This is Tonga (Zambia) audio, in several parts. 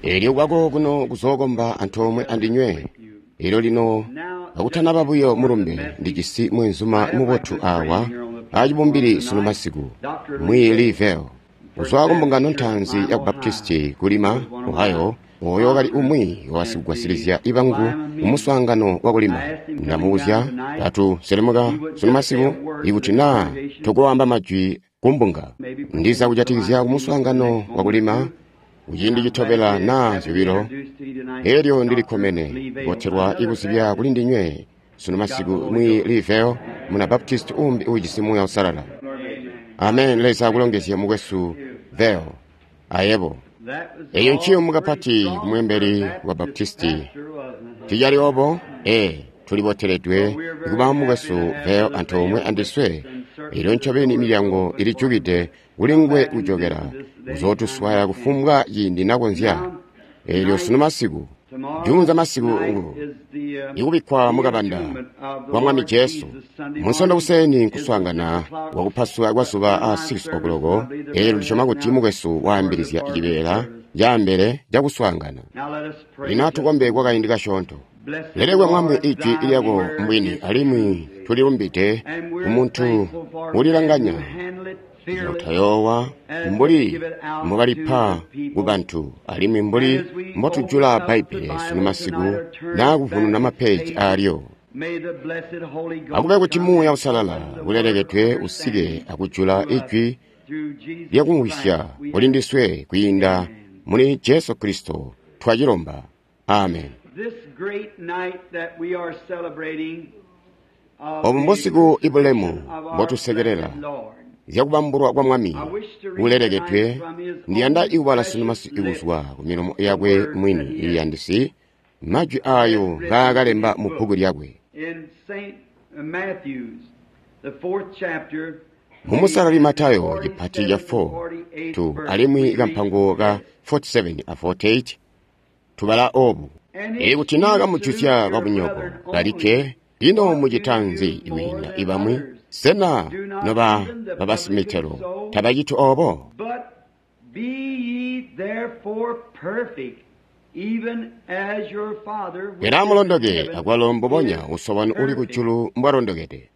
Elyo kwako kuno kuzookomba antoomwe andinywe. Elyo lino kakutanaba buyo mulumbe, ndijisi mweenzuma mubotu awa acibumbili sunu masiku, Mwiiyi Lee Vayle, kuzwa ku mbungano ntaanzi ya Baptisti ku Lima, Ohio, oyo wakali umwi wabasikugwasilizya bangu mumuswaangano wakulima. Ndamubuzya, katu selemuka sunu masiku, ikuti naa tokowaamba majwi kumbunga, ndiza kujatikizya kumuswaangano wakulima kuciindi citobela naa zyobilo. Elyo ndilikkomene kubotelwa ikuzibya kuli ndinywe sunu masiku Mwiiyi Lee Vayle, muna Baptisti uumbi uujisi Muuya Uusalala. Amen. Leza akulongezye mukwesu Vayle. Ayebo. Eyo nciyumu kapati kumweembeli wa Baptisti. Ticali obo? Ee, tuliboteledwe kuba mukwesu Vayle antoomwe andiswe. Elyo ncobeni milyango ilijukide kuli nguwe kujokela kuzootuswaya kufumbwa ciindi nakonzya. Elyo sunu masiku, juunza masiku ngu ikubikkwa mukabanda kwa Mwami Jesu. Munsondo kuseni nkuswaangana kwakupasula kwa zuba a 6 o'clock. Elyo ndisyoma kuti mukwesu waambilizya cibeela caambele cakuswaangana. Lino atukombe kwa kaindi kasyoonto. Lelekwe Mwami ijwi lyako mbwini, alimwi tulilumbide kumuntu ulilanganya mutayoowa mbuli mbobalipa kubantu, alimwi mbuli mbotujula Bbaibbele sunu masiku naa kuvununa mapeeji aalyo. Akube kuti Muuya Uusalala ulelekedwe usike akujula ijwi lyakumvwisya kuli ndiswe kwiinda muli Jesu Kristo twacilomba. Amen. Obu mbusiku ibulemu mbotusekelela zyakubambulwa kwa Mwami ulelekedwe. Ndiyanda ikubala sunu masiku kuzwa ku milomo yakwe mwini iyandisi, majwi aayo ngaakalemba mu bbuku lyakwe. Mumusalali Matayo cipati ca 4 tu alimwi kampango ka 47 a 48 tubala obu: Ikuti naa kamujuzya babunyoko balikke, ino mucita nzi kwiinda ibamwi? Sena noba babasimitelo tabaciti obo? Pele amulondoke akwalo mbubonya Uso wanu uli kujulu mbwalondokede.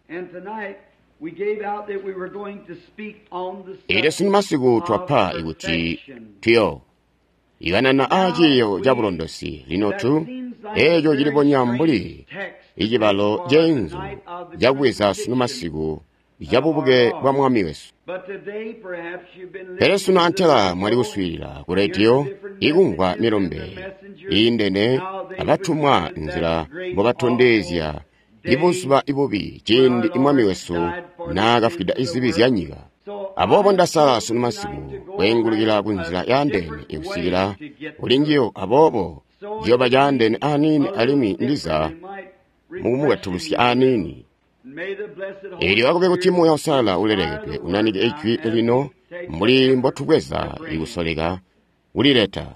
Elyo sunu masiku twapa ikuti tuyo ikanana aa ciiyo ca bulondosi. Lino tu eeco cilibonya mbuli icibalo ceenzu cakubweza sunu masiku cabubuke bwa Mwami wesu. Pele sunu antela mwali kuswiilila ku rediyo ikumvwa milumbe iindene abatumwa nzila mbobatondezya ibuzuba ibubi ciindi Mwami wesu naakafwida izibi zya nyika. Aboobo ndasala sunu masiku kweengulukila ku nzila yaandeene ikusikila kuli njiyo. Aboobo ciyoba caandeene aniini alimwi ndiza mukumukatulusya aniini. Elyo akube kuti Muuya Uusalala ulelekedwe unanike ijwi lino mbuli mbotubweza ikusoleka kulileta.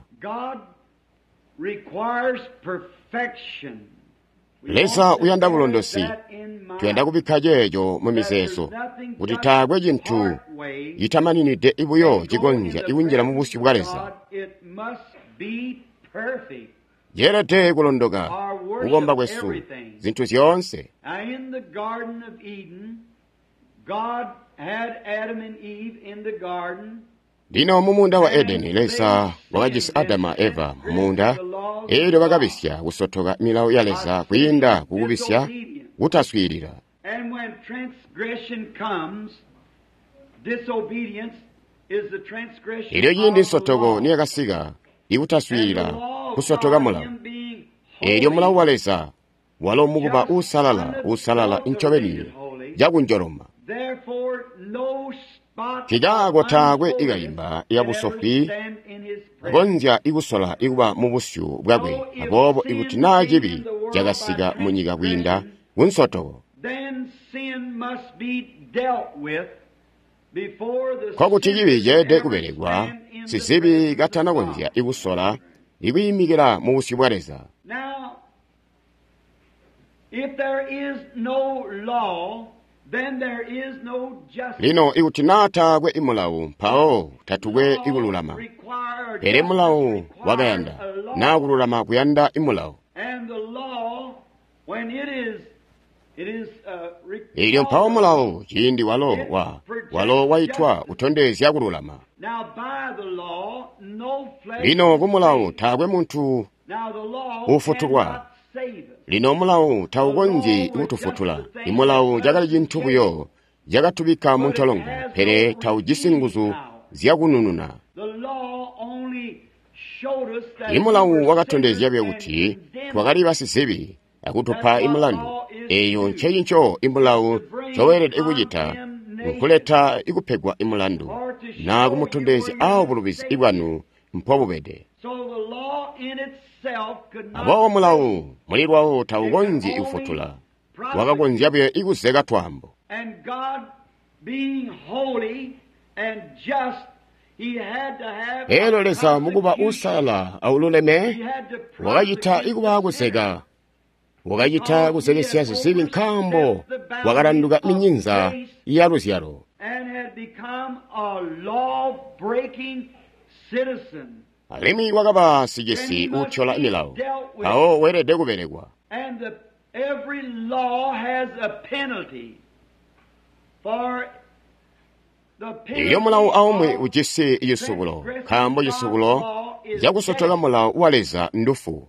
Leza uyanda bulondosi. Tuyanda kubikka ceeco mu mizeezo kuti taakwe cintu citamaninide buyo cikonzya ikunjila mu busyu bwa Leza. Ceelede kulondoka kukomba kwesu, zintu zyoonse. Lino mumuunda wa Edeni, Leza wakajisi Adamu a Eva mumuunda. Elyo bakabisya kusotoka milawo ya Leza kwiinda kukubisya kutaswiilila. Elyo ciindi nsotoko niyakasika, ikutaswiilila kusotoka mulawo. Elyo mulawo wa Leza walo mukuba uusalala, uusalala ncobeni cakunjoloma. Nkikaako taakwe ikayimba yabusofwi konzya ikusola ikuba mu busyu bwakwe. Aboobo ikuti naa cibi cakasika munyika kwiinda kunsotoko, nkokuti cibi ceelede kubelekwa sizibi katanakonzya ikusola ikwiimikila mu busyu bwa Leza. If there is no law, Lino ikuti naa taakwe imulawu, mpawo tatukwe ikululama. Pele mulawu wakayanda, naa kululama kuyanda imulawu. Elyo mpawo mulawu ciindi walo walo waitwa kutondezya kululama. Lino ku mulawu taakwe muntu ufutulwa. Lino mulawu taukonzyi kutufutula. Imulawu cakali cintu buyo cakatubikka mu ntolongo, pele taujisi nguzu zyakunununa. Imulawu wakatondezya buyo kuti twakali basizibi akutupa imulandu. Eyo ncecinco imulawu ncoweelede kucita, nkuleta ikupegwa imulandu naa kumutondezya awo bulubizi bwanu mpobubede. Aboobo mulawu muli lwawo taukonzyi kufutula, wakakonzya buyo ikuzeka twaambo. Elyo Leza mukuba uusalala aululeme wakacita ikuba kuzeka, wakacita kuzekesya zizibi nkaambo wakalanduka minyinza ya luzyalo. Alimwi wakaba sicisi uutyola milawo, mpawo weelede kubelekwa. Elyo mulawo aumwi ujisi cisubulo, nkaambo cisubulo cakusotoka mulawo wa Leza ndufu.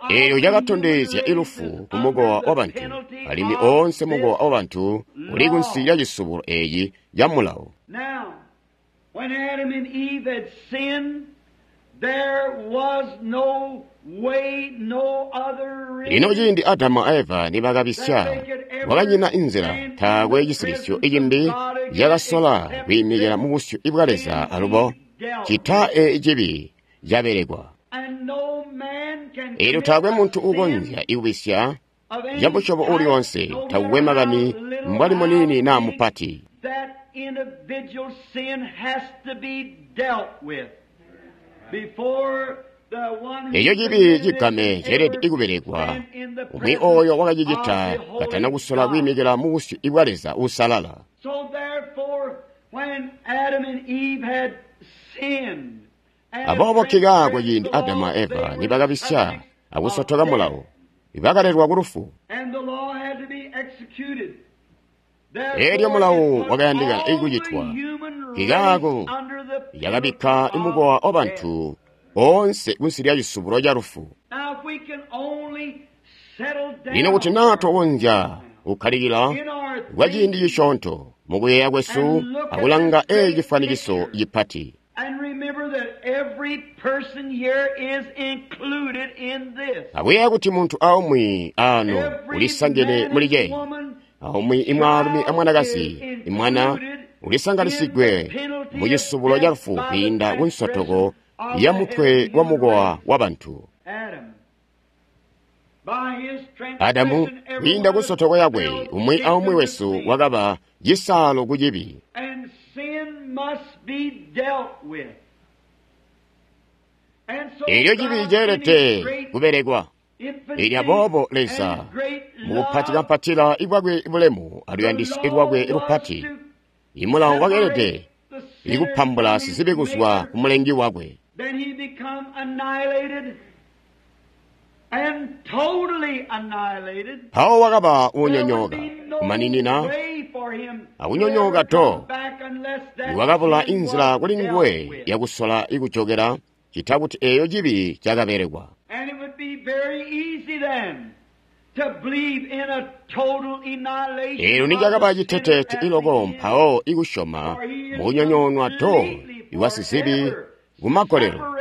Elyo cakatondezya ilufu ku mukowa wabantu, alimwi oonse mukowa wabantu uli kunsi lya cisubulo eeci ca mulawo. Lino ciindi Adamu a Eva nibakabisya, kwakanyina inzila, taakwe cisilisyo icimbi cakasola kwiimikila mu busyu bwa Leza alubo cita cibi cabelekwa. Elyo taakwe muntu uukonzya ikubisya camusyobo uuli wonse, takukwe makani mbwali muniini naa mupati. Eco cibi cigame ceelede ikubelekwa umwi ooyo wakacicita katana kusola kwiimikila mu busyu bwa Leza uusalala. Aboobo nkikaako ciindi Adamu a Eva nibakabisya akusotoka mulawo, bakalelwa ku lufu. Elyo mulawo wakayandika ikucitwa, nkikaako yakabikka imukowa wabantu oonse kunsi lya cisubulo ca lufu. Lino kuti naa twakonzya kukkalikila kwa ciindi cisyoonto mukuyeeya kwesu akulanga eeci cifwanikiso cipati. Akuyeeya kuti muntu aumwi aano ulisangene muli ceeci, aumwi imwaalumi amwanakazi imwana ulisanganisigwe mu cisubulo ca lufu kwiinda ku nsotoko ya mutwe wa mukowa wabantu. Adamu kwiinda ku nsotoko yakwe, umwi aumwi wesu wakaba cisaalo ku cibi. Elyo cibi ceelede kubelekwa. Elyo aboobo Leza mukupati kampatila ibwakwe bulemu aluyandisyo lwakwe lupati, imulawo wakeelede ikupambula sizibi kuzwa ku mulengi wakwe. Mpawo wakaba uunyonyooka kumaninina akunyonyooka to, iwakabula inzila kuli nguwe yakusola ikujokela cita kuti eeyo cibi cakabelekwa. Eelyo nicakaba citeteete iloko mpawo ikusyoma mukunyonyoonwa do iwa sizibi kumagolelo,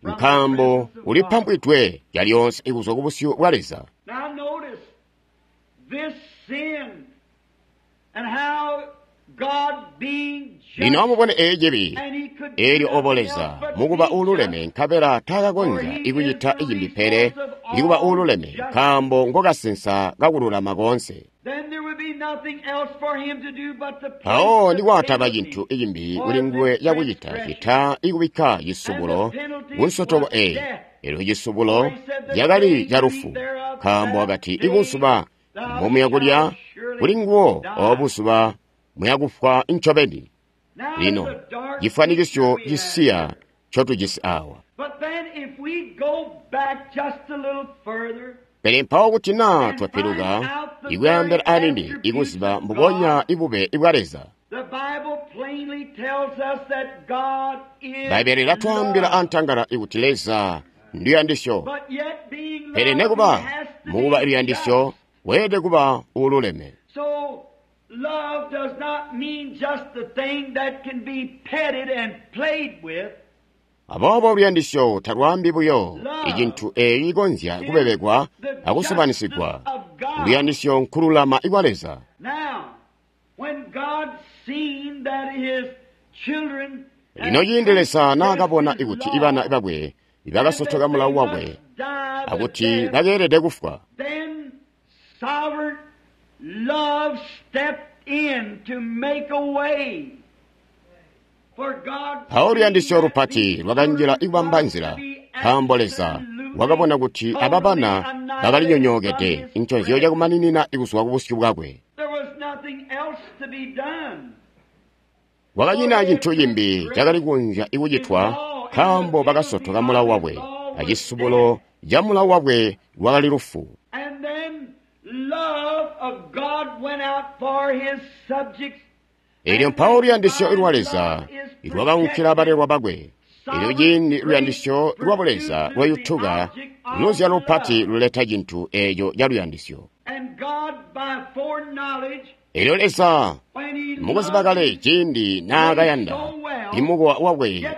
nkaambo ulipambwidwe calyoonse ikuzwa kubusyu bwa Leza. Lino amubone eeci cibi, eelyo obo Leza mukuba uululeme nkabela taakakonzya ikucita icimbi pele ikuba uululeme, nkaambo ngokasensa kakululama koonse. Mpawo nikwataba cintu icimbi kuli nguwe cakucita cita ikubikka cisubulo ku nsotoko eeyi, Elyo cisubulo cakali ca lufu, nkaambo wakati ibuzuba mbomuya kulya kuli nguwo obo buzuba muya kufwa ncobeni. Lino cifwanikisyo cisiya ncotujisi awa. Pele mpawo kuti naa twapiluka ikuyambela anini ikuziba mbubonya ibube bwa Leza. Bbaibbele lilatwaambila antangala ikuti Leza nduyandisyo. Pele nekuba mukuba luyandisyo weelede kuba uululeme. Aboobo luyandisyo talwaambi buyo icintu eeci cikonzya kubebekwa akusobanisigwa. Luyandisyo nkululama kwa Leza. Lino ciindi Leza naakabona kuti ibana bakwe bakasotoka mulawo wakwe akuti bakeelede kufwa, mpawo luyandisyo lupati lwakanjila ikubamba nzila, nkaambo Leza wakabona kuti aba bana bakalinyonyookede nconzyo cakumaninina kuzwa kubusyu bwakwe. Kwakanyina cintu cimbi cakali kukonzya kucitwa, nkaambo bakasotoka mulawo wakwe, acisubulo ca mulawo wakwe lwakali lufu. Elyo mpawo luyandisyo lwa Leza lwakaunkila balelwa bakwe. Elyo ciindi luyandisyo lwa Buleza lwayutuka, luzyalo lupati luleta cintu eeco ca luyandisyo. Elyo Leza mukuziba kale ciindi naakayanda imukowa wakwe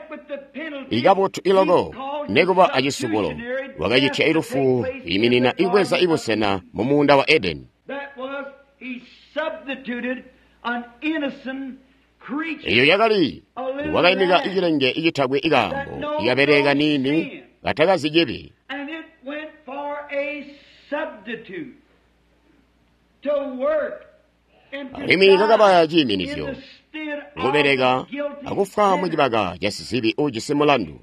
ikabotu iloko nekuba acisubulo, wakacitya ilufu iminina ibweza ibusena mu muunda wa Edeni. Eyo yakali wakaimika icilenge icitakwe ikaambo ikabeleka niini katakazi cibi. Alimwi kakabaya ciiminizyo kubeleka akufwa mucibaka ca sizibi uujisi mulandu.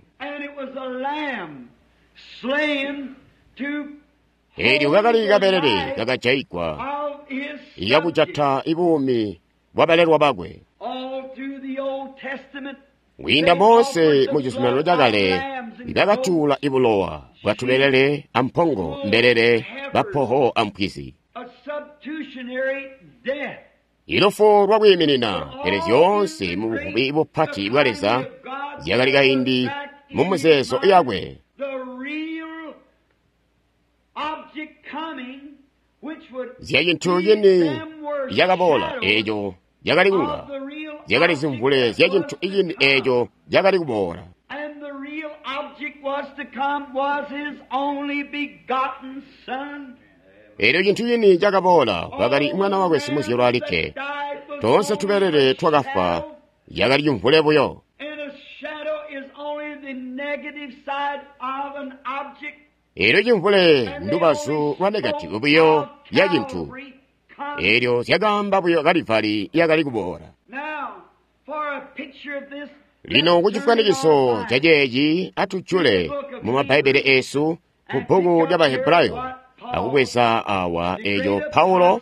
Eelyo kakali kabelele kakajaigwa ikakujata ibuumi bwabalelwa bakwe. Kwiinda Mose mu Cizuminano Cakale bakatuula ibulowa bwatubelele ampongo, mbelele, bapoho ampwizi. Ilufu lwakwiiminina, pele zyoonse mu buvubi bupati bwa Leza zyakali kaindi mu muzeezo yakwe. Zyacintu cini cakaboola eeco cakali kunga zyakali zimvule zya cintu cini eeco cakali kuboola. Eelyo cintu cini cakaboola wakali mwana wakwe simuzyalwa alikke. Toonse tubelele twakafwa yakali cimvule buyo. Eelyo cimvule ndubazu lwa negativu buyo ya cintu. Eelyo zyakaamba buyo Kalivali yakali kuboola. Lino kucifwanikiso ca ceeci atujule mu Mabbaibele eesu ku bbuku lya Bahebrayo akubweza awa eeco Paulo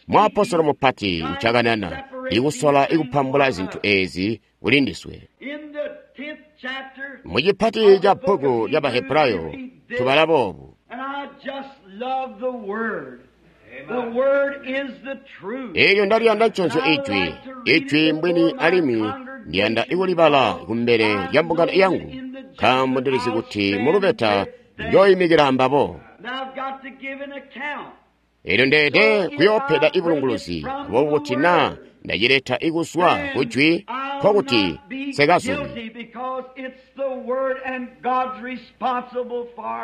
muapostolo mupati ncakanana ikusola ikupambula zintu eezi kuli ndiswe. Mucipati ca bbuku lya Bahebrayo tubala boobu. Eelyo ndaliyanda nconzyo ijwi, ijwi mbwini alimwi ndiyanda ikulibala kumbele lya mbungano yangu, nkaambo ndilizi kuti mulubeta njooyimikila ambabo. Eelyo ndeede kuyoopeda ibulunguluzi, aboobo kuti naa ndacileta ikuzwa kujwi, nkokuti nsikazumi.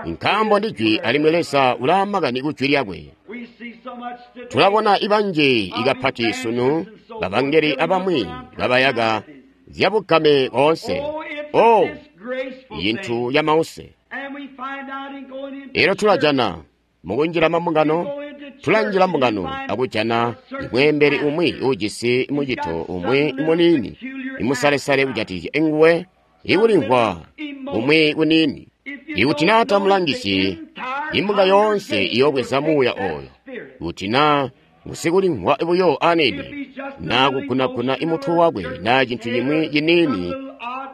Nkaambo ndijwi alimwi Leza ulaamakani kujwi lyakwe. Tulabona ibanji ikapati sunu babangeli abamwi babayaka zyabugame koonse. Oh, yintu ya mause. Eelyo tulajana mukunjila mambungano, tulanjila mbungano akujana imweembeli umwi uujisi mucito umwi muniini imusalesale kujatikizya nguwe ikulimvwa umwi kuniini. Ikuti naa tamulangisyi, imbunga yoonse iyoobweza muuya ooyo. Kuti naa ngusikulimvwa buyo aniini, naa kugunaguna imutwe wakwe naa cintu cimwi ciniini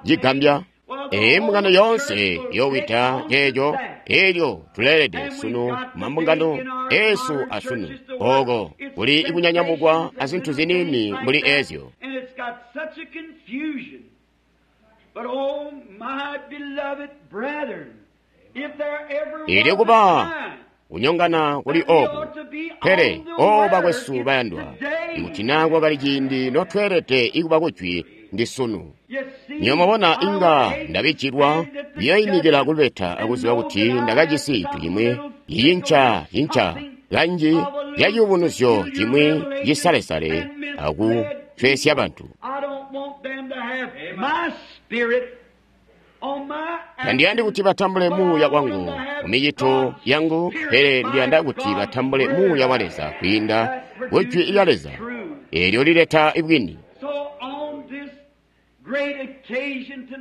cigambya, imbungano yoonse iyoowida ceeco. Elyo tuleelede sunu mambungano eesu asunu ooko kuli ikunyanyamukwa azintu ziniini mbuli eezyo. Elyo kuba kunyongana kuli oku, pele o bakwesu bayandwa, ikuti naa kwakali ciindi notweelede ikuba kujwi ndi sunu. Nywebo mwabona, inga ndabijilwa kuyoimikila kulubeta akuziba kuti ndakajisi cintu cimwi cicinca cinca kanji ca ciyubunuzyo cimwi cisalesale akucwesya bantu. Tandiyandi kuti batambule muuya wangu mumicito yangu, pele ndiyanda kuti batambule muuya wa Leza kwiinda ku Jwi lya Leza eelyo lileta bwini.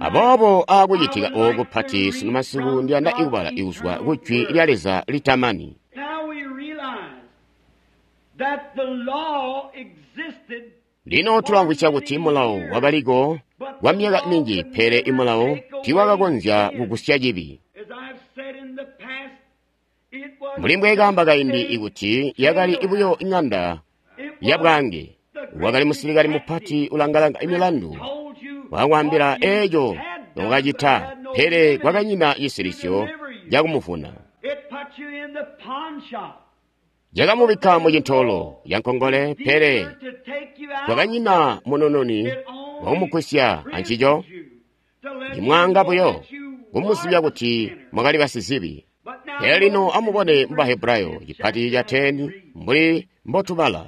Aboobo aakucitika ooku pati sunu masiku ndiyanda ikubala ikuzwa ku Jwi lya Leza litamani. Lino tulamvwisya kuti mulawo wakaliko kwa myaka minji, pele imulawo tiiwakakonzya kugusya cibi. Mbuli mbweekaamba kaindi ikuti yakali buyo iŋanda yabwaange, wakali musilikali mupati ulangalanga imilandu, wakwaambila eeco nokacita, pele kwakanyina cisilisyo cakumuvuna. Cakamubikka mucintoolo cankongole, pele kwakanyina munununi wakumugwisya ancico. Ndimwaanga buyo kumuzibya kuti mwakali basizibi. Pele lino amubone mu Bahebrayo cipati ca 10 mbuli mbotubala.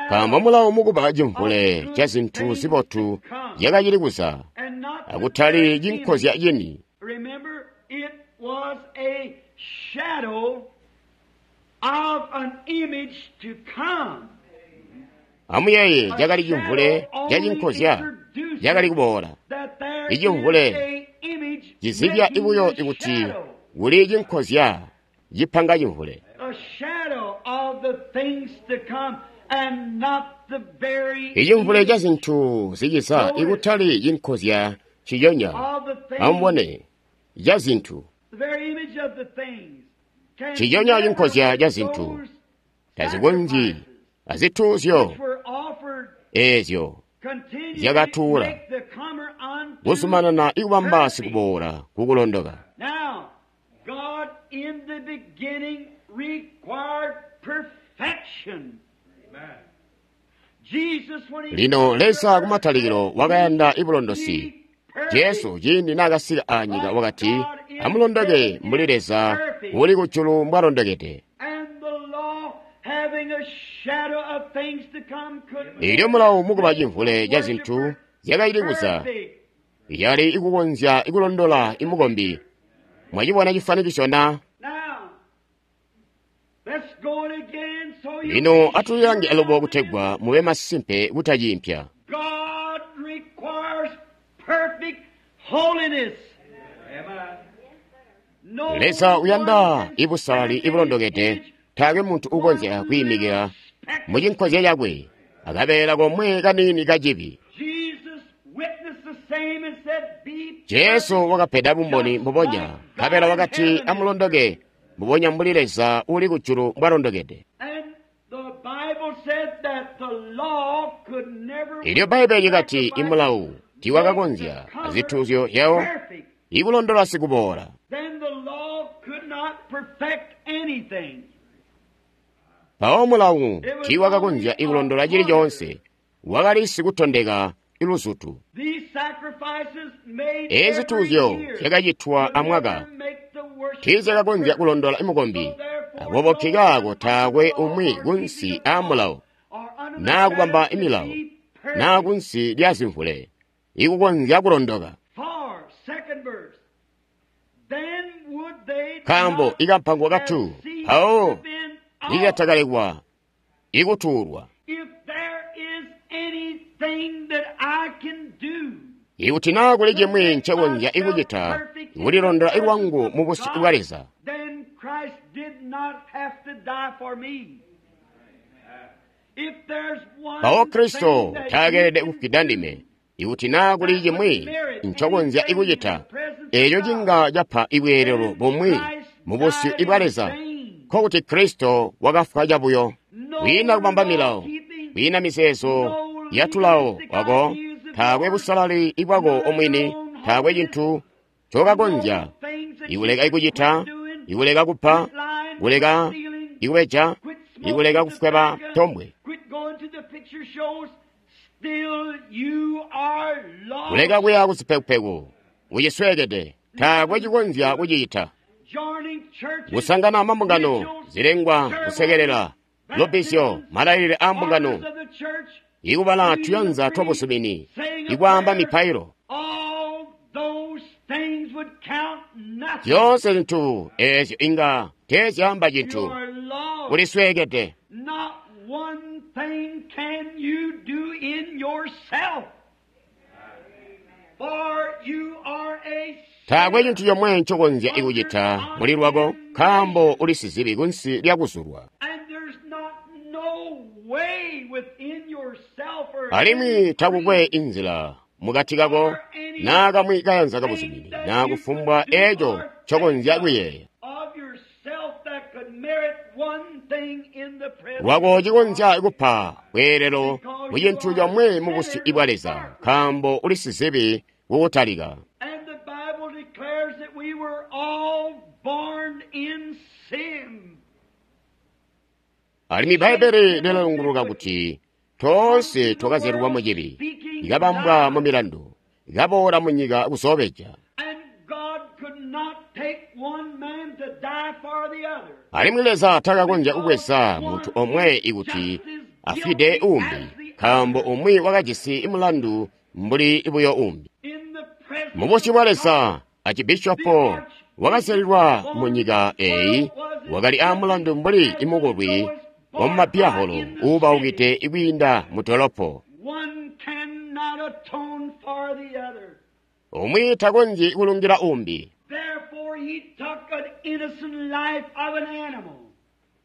Nkaambo mulawo mukuba cimvule ca zintu zibotu zyakacili kuza, akutali cinkozya cini. Amuyeeye, cakali cimvule ca cinkozya cakali kuboola. Icimvule cizibya buyo kuti kuli cinkozya cipanga cimvule. Icimvule ca zintu ziciza ikutali cinkozya ciyonya. Amubone, ca zintu ciyonya cinkozya ca zintu tazikonzyi azituuzyo eezyo zyakatuula kuzumanana ikubamba sikuboola kukulondoka. Lino Leza kumatalikilo wakayanda ibulondosi. Jesu ciindi naakasika anyika wakati, amulondoke mbuli Leza uli kujulu mbwalondokede. Elyo mulawo mukuba cimvule ca zintu zyakacili kuza, yali ikukonzya ikulondola imukombi. Mwacibona cifanikisyo na? Lino atulilange alubo kutegwa mube masimpe kutaciimpya. Leza uyanda ibusalali ibulondokede. Taakwe muntu ukonzya kwiimikila mucinkozya cakwe akabeela komwe kaniini kacibi. Jesu wakapeda bumboni mbubonya, nkabela wakati amulondoke mbubonya mbuli Leza uli kujulu mbwalondokede. Elyo Bbaibbele likati imulawu tiiwakakonzya azituuzyo zyawo ikulondola sikuboola. Mpawo mulawu tiiwakakonzya ikulondola cili coonse, wakali sikutondeka iluzutu. Eezi zituuzyo zyakacitwa amwaka tiizyakakonzya kulondola mukombi, aboobo nkikaako taakwe umwi kunsi aamulawo naa kubamba milawo naa kunsi lya zimvule ikukonzya kulondoka. Nkaambo ikampango katu mpawo nikatakalekwa ikutuulwa. Ikuti naa kuli cimwi ncekonzya ikucita, kulilondola lwangu mu busyu bwa Leza, mpawo Kristo taakeelede kufwida ndime. Ikuti naa kuli cimwi ncokonzya ikucita, eeco cinga capa ibweelelo bumwi mu busyu bwa Leza, nkokuti Kristo wakafwa cabuyo. Kwiina kubamba milawo, kwiina mizeezo ya tulawo wako, taakwe busalali bwako omwini, taakwe cintu ncokakonzya ikuleka ikucita, ikuleka kupa, kuleka ikubeja, ikuleka kufweba tombwe, kuleka kuya kuzipekupeku, ucisweekede, taakwe cikonzya kucicita. Kusangana mambungano, zilengwa, kusekelela, lubbizyo, malailile aa mbungano, ikubala tuyanza twabusumini, ikwaamba mipailo, zyoonse zintu eezyo inga teezyaamba cintu. Ulisweekede. Taakwe cintu comwe ncokonzya ikucita muli lwako, nkaambo uli sizibi kunsi lya kuzulwa. Alimwi takukwe inzila mukati kako naa kamwi kayanza kabuzumini naa kufumbwa eeco ncokonzya kuyeeya lwako cikonzya kupa bweelelo mu cintu comwe mu busyu bwa Leza, nkaambo uli sizibi kukutalika. Alimwi Bbaibbele lilalunguluka kuti toonse twakazyalilwa mu cibi, ikabambwa mu milandu, ikaboola mu nyika kuzoobeja. Alimwi Leza takakonzya kubweza muntu omwe ikuti afwide uumbi, nkaambo umwi wakajisi mulandu mbuli buyo uumbi. Mu busyu bwa Leza, acibishopo wakazyalilwa mu nyika eeyi wakali aamulandu mbuli imukolwi wamumabiyaholo uubaukide kwiinda mu dolopo. Umwi takonzyi kulungila uumbi.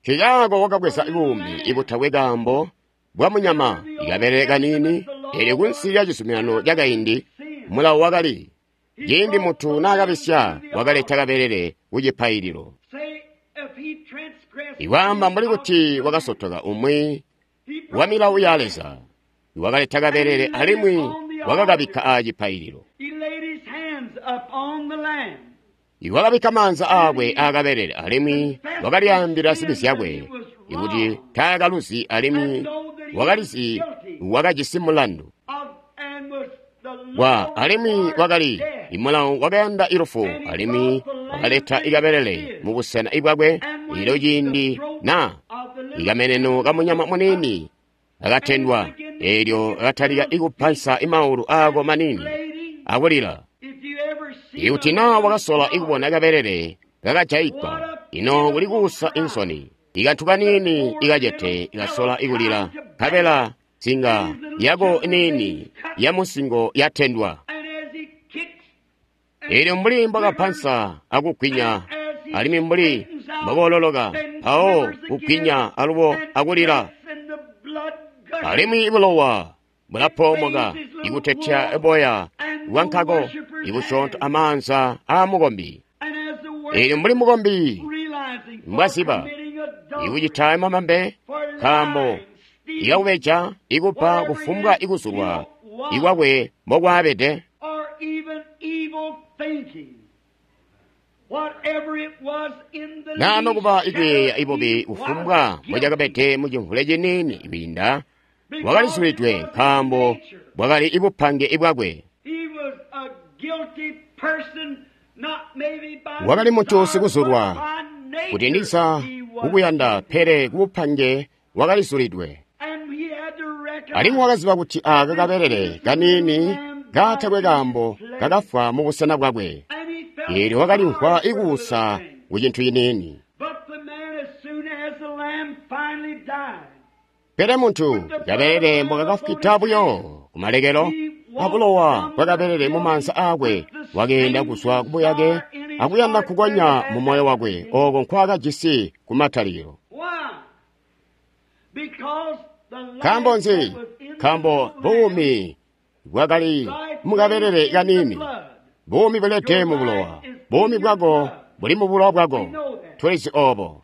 Nkaako wakabweza buumi ibutakwe kaambo bwa munyama, ikabelele kaniini, eelyo kunsi lya cizuminano cakaindi mulawo wakali, ciindi muntu naakabisya wakaleta kabelele kucipaililo. Ikwaamba mbuli kuti wakasotoka umwi wa milawo ya Leza, wakaleta kabelele alimwi wakakabikka aacipaililo. Wakabikka maanza aakwe aakabelele alimwi wakalyaambila zibi zyakwe ikuti taakaluzi alimwi wakalizi wakajisi mulandu. Alimwi wakali imulawo wakayanda ilufu alimwi wakaleta ikabelele mubusena bwakwe ilo ciindi na ikameneno kamunyama muniini akatendwa, eelyo akatalika ikupansa imaulu aako maniini akulila. Ikuti naa wakasola ikubona kabelele kakajayigwa, ino kuli kuusa insoni. Ikantu kaniini ikacete ikasola ikulila, nkabela nsinga yako niini ya musingo yatendwa. Eelyo mbuli mbwakapansa akugwinya, alimwi mbuli mbwakoololoka, mpawo kugwinya alubo akulila, alimwi bulowa bulapoomoka ikutetya boya bwankako ibusyoonto amaanza aamukombi. Eelyo mbuli mukombi mbwaziba ikucita mamambe, nkaambo ikakubeja ikupa kufumbwa ikuzulwa ikwakwe mbokwaabede, naa nokuba ikuyeeya ibubi kufumbwa mbocakabede mucimvule ciniini kwiinda, wakalizulidwe nkaambo bwakali ibupange bwakwe. Wakali muntu sikuzulwa kuti ndiza kukuyanda, pele kubupange wakalizulidwe. Alimwi wakaziba kuti aaka kabelele kaniini katakwe kaambo kakafwa mubusena bwakwe. Eelyo wakalimvwa ikuusa ku cintu ciniini. Pele muntu kabelele mbokakafwida buyo kumalekelo, abulowa bwakabelele mumaanza aakwe, wakeenda kuzwa kubuyake akuyanda kukonya mu moyo wakwe ooko nkwaakajisi kumatalikilo. Nkaambo nzi? Nkaambo buumi bwakali mukabelele kaniini. Buumi bulede mu bulowa. Buumi bwako buli mu bulowa bwako. Tulizi oobo.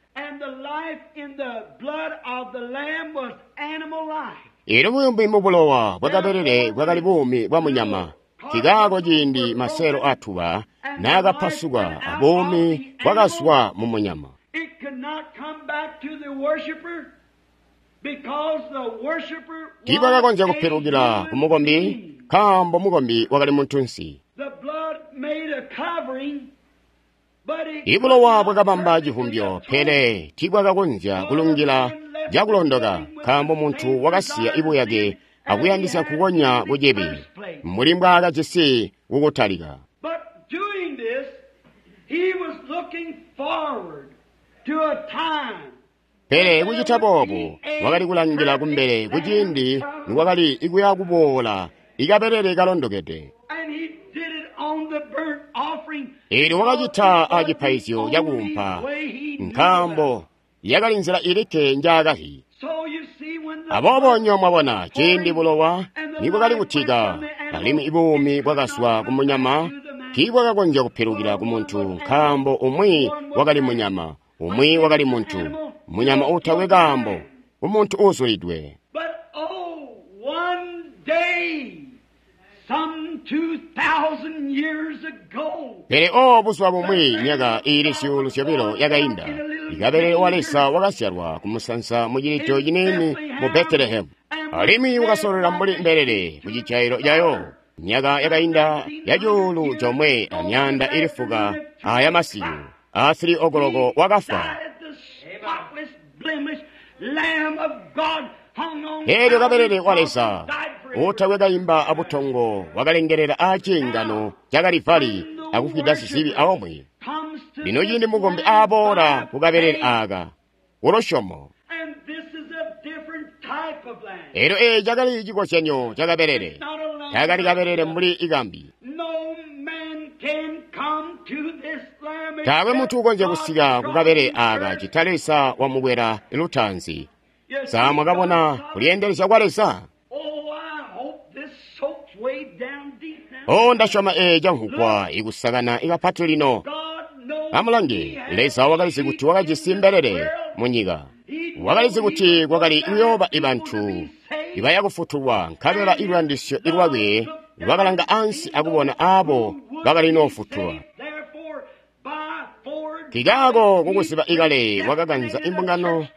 Elyo buumi mu bulowa bwakabelele bwakali buumi bwa munyama. Nkikaako ciindi maseelo atuba naakapasuka, abuumi bwakazwa mu munyama. Tiibwakakonzya kupilukila ku mukombi, nkaambo mukombi wakali muntunsi. Ibulowa bwakabamba civumbyo, pele tiibwakakonzya kulungila cakulondoka, nkaambo muntu wakasiya ibuyake akuyandisya kukonya kucibi, mbuli mbwaakajisi kukutalika. Pele kucita boobu, wakali kulangila kumbele kuciindi nikwakali kuya kuboola ikabelele kalondokede. Eelyo wakacita acipaizyo cakuumpa, nkaambo yakali nzila ilikke njaakazi. Aboobo nyo mwabona ciindi bulowa nibwakali kutika, alimwi buumi bwakazwa ku munyama tiibwakakonzya kupilukila ku muntu, nkaambo umwi wakali munyama, umwi wakali muntu, munyama uutakwe kaambo, umuntu uuzulidwe. Pele o buzuba bumwi myaka iili 2,000 yakainda, ikabelele wa Leza wakazyalwa kumusanza mu cilito ciniini mu Betelehemu, alimwi wakasololela mbuli mbelele ku cijailo cayo. Myaka yakainda ya 1900 aya masiku, a 3 okoloko wakafwa. Eelyo kabelele wa Leza uutakwe kaimba abutongo wakalengelela aciingano ca Kalivali akufwida sizibi aomwe. Lino ciindi mukombi aaboola kukabelele aaka kulusyomo, eelyo eeci cakali cikozyanyo ca kabelele. Taakali kabelele mbuli ikambi. Taakwe muntu ukonzya kusika kukabelele aaka cita Leza wamukwela lutaanzi. Sa mwakabona kulyeendelezya kwa Leza? Oh, ndasyoma eeci camvwugwa ikusakana ikapati lino. Amulange, Leza wakalizi kuti wakajisi mbelele munyika. Wakalizi kuti kwakali kuyooba ibantu ibaya kufutulwa, nkabela iluyandisyo lwakwe lwakalanga ansi akubona aabo bakali noofutulwa. Nkikaako kukuziba ikale wakakanza imbungano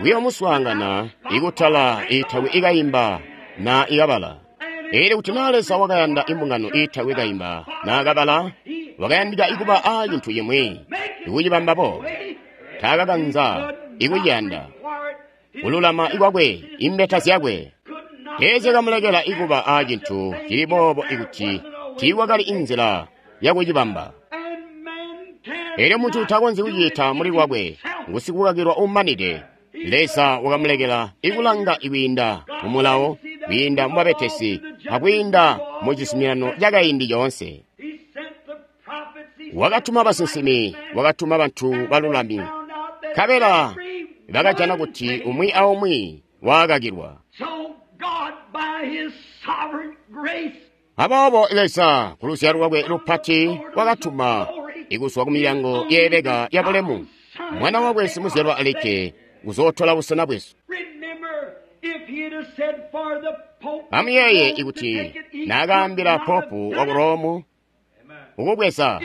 kuyoomuswaangana ikutala iitakwe ikaimba na ikabala. Eelyo kuti naa Leza wakayanda imbungano iitakwe kaimba naa kabala, wakayandika ikuba aa cintu cimwi ikucibamba boobo. Taakakanza ikuciyanda kululama ikwakwe, imbeta zyakwe teezyakamulekela ikuba aa cintu cili boobo ikuti tiikwakali inzila yakucibamba. Eelyo muntu takonzyi kucita muli lwakwe, ngusikukakilwa uumanide. Leza wakamulekela ikulanga ikwiinda mu mulawo, kwiinda mu babetesi, akwiinda mu cizuminano cakaindi coonse. Wakatuma basinsimi, wakatuma bantu balulami, nkabela bakajana kuti umwi aumwi waakakilwa. Aboobo Leza ku luzyalo lwakwe lupati wakatuma ikuzwa ku milyango yeebeka yabulemu Mwana wakwe simuzyalwa alikke kuzootola busena bwesu. Amuyeeye ikuti naakaambila Popu waku Romu ukubweza,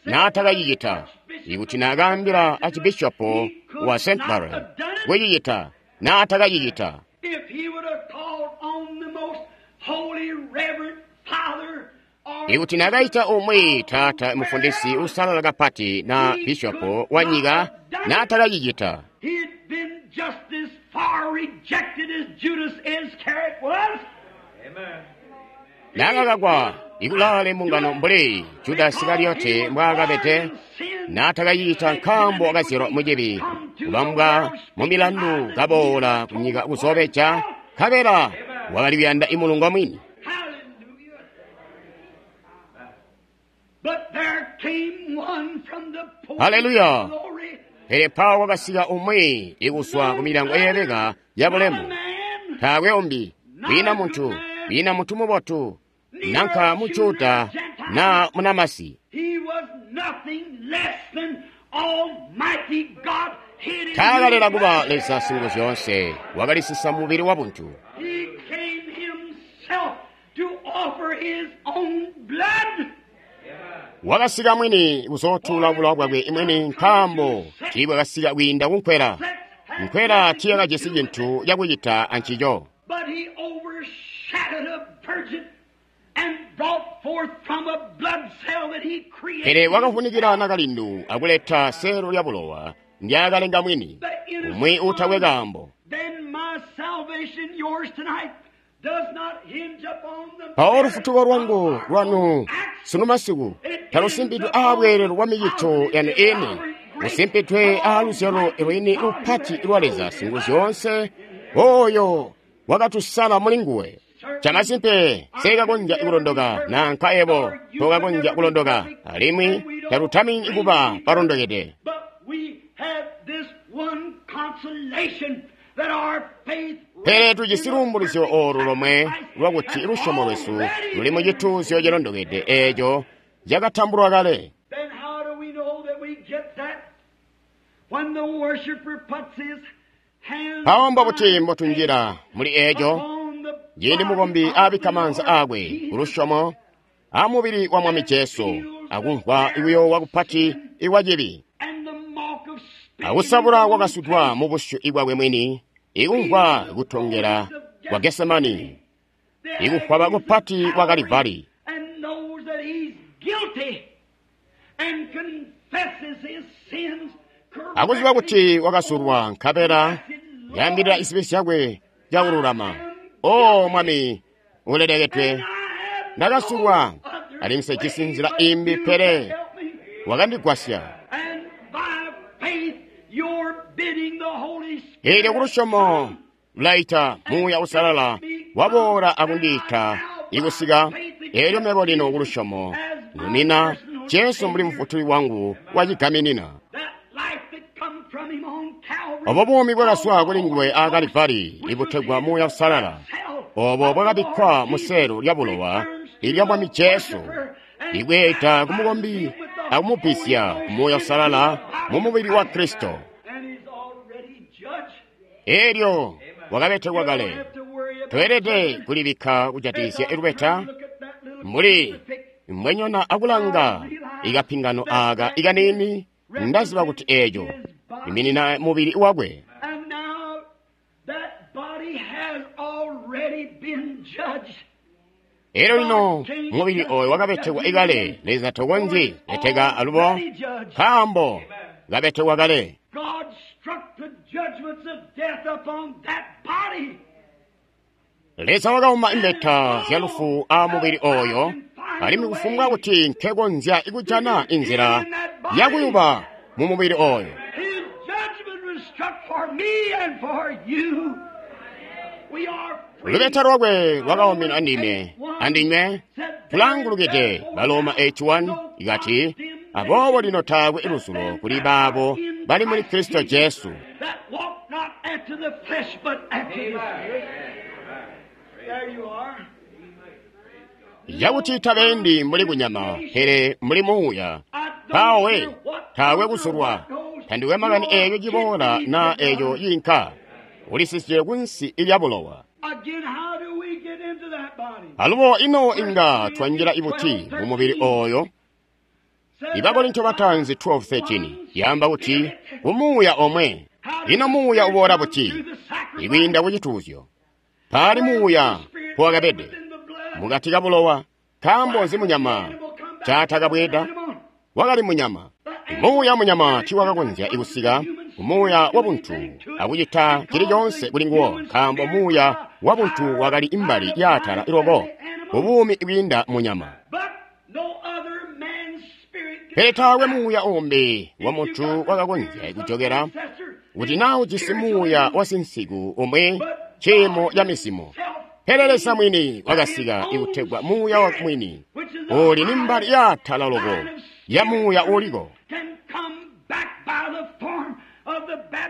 naatakacicita. Ikuti naakaambila Archbishopu wa St. Mary kucicita, naatakacicita. Ikuti naakaita umwi taata mufundisi uusalala kapati na bishopu wa nyika, naatakacicita. Naakakakwa ikulaale mbungano mbuli Judasi Isikariyote mbwaakabede, naatakacicita nkaambo wakazyalwa mucibi, kubambwa mumilandu kaboola kunyika kuzoobeja, nkabela wakali kuyanda imulungo mwini. Haleluya! Pele mpawo kwakasika umwi ikuzwa ku milyango yeebeka ya bulemu. Taakwe umbi, kwiina muntu, kwiina muntu mubotu, nanka mu Juda na munamasi. Taakalela kuba Leza Singuzyoonse, wakalisisa mubili wabuntu. Wakasika mwini kuzootuula bulowa bwakwe mwini, nkaambo tiibwakasika kwiinda kunkwela. Nkwela tiiyakajisi cintu cakucita ancico. Pele wakavunikila nakalindu akuleta seelo lya bulowa ndyaakalenga mwini, umwi uutakwe kaambo. Mpawo lufutuko lwangu lwanu sunu masiku talusimpidwe aabweelelo bwa micito yanu eni, lusimpidwe aaluzyalo lwini lupati lwa Leza Singuzyoonse, oyo wakatusala muli nguwe. Chamasimpe seekakonzya kulondoka nanka ebo tokakonzya kulondoka, alimwi talutamini kuba balondokede. Pele tujisi luumbulizyo oolu lomwe lwakuti lusyomo lwesu luli mu cituuzyo cilondokede eeco cakatambulwa kale. Mpawo mbobuti mbotunjila muli eeco? Ciindi mukombi aabikka maanza aakwe kulusyomo amubili wa Mwami Jesu akumvwa kuyoowa kupati ikwa cibi, akusabula kwakasutwa mu busyu bwakwe mwini, ikumvwa kutongela kwa Gesemani, ikufwaba kupati kwa Kalivari, akuziba kuti wakasulwa nkabela yaambilila zibi zyakwe cakululama. O Mwami ulelekedwe, ndakasulwa alimwi nsejisi nzila imbi, pele wakandigwasya. Eelyo kulusyomo lulaita Muuya Uusalala waboola akundiita ikusika. Eelyo mebo lino kulusyomo numina Jesu mbuli Mufutuli wangu wacigaminina. Obo buumi bwakazwa kuli nguwe aa Kalivari ibutegwa Muuya Uusalala, obo bwakabikkwa mu seelo lya bulowa ilya Mwami Jesu, ibweeta kumukombi akumubisya Muuya Uusalala mu mubili wa Kristo. Eelyo wakabetekwa kale. Toelede kulibikka kujatikizya lubeta mbuli mbwenyona akulanga ikapingano aka ikaniini. Ndaziba kuti eeco iminina mubili wakwe. Elyo lino mubili oyo wakabetekwa ikale. Leza tokonzyi beteka alubo, nkaambo kabetekwa kale. Leza wakauma imbeta zya lufu a mubili oyo, alimwi kufumbwa kuti nkekonzya kujana inzila yakuyuba mu mubili oyo. Lubeta lwakwe lwakaumina ndime andinywe, tulangulukide. Baloma 81 ikati, aboobo lino taakwe luzulo kuli baabo bali muli Kristo Jesu. Yakuti tabendi mbuli kunyama, pele mbuli muuya. Mpawo taakwe kusulwa, tandikwe makani eeco ciboola na eeco ciinka, ulisisye kunsi lya bulowa. Alubo ino inga twanjila ibuti mu mubili oyo? Ibakorinto bataanzi 12:13 yaamba kuti umuuya omwe. Ino muuya uboola buti? Ikwiinda ku cituuzyo. Paali muuya mpuwakabede mukati ka bulowa. Nkaambo nzi munyama caatakabweeda? Wakali munyama. Muuya munyama tiiwakakonzya kusika kumuuya wabuntu akucita cili coonse kuli nguwo, nkaambo muuya wabuntu wakali imbali yaatala loko kubuumi kwiinda munyama. Pele taakwe muuya umbi wa muntu wakakonzya kujokera kuti naa ujisi muuya wasinsiku umwi ciimo ca mizimo. Pele Leza mwini wakasika ikutegwa muuya wa mwini, Uli ni mbali yaatala loko ya muuya uliko.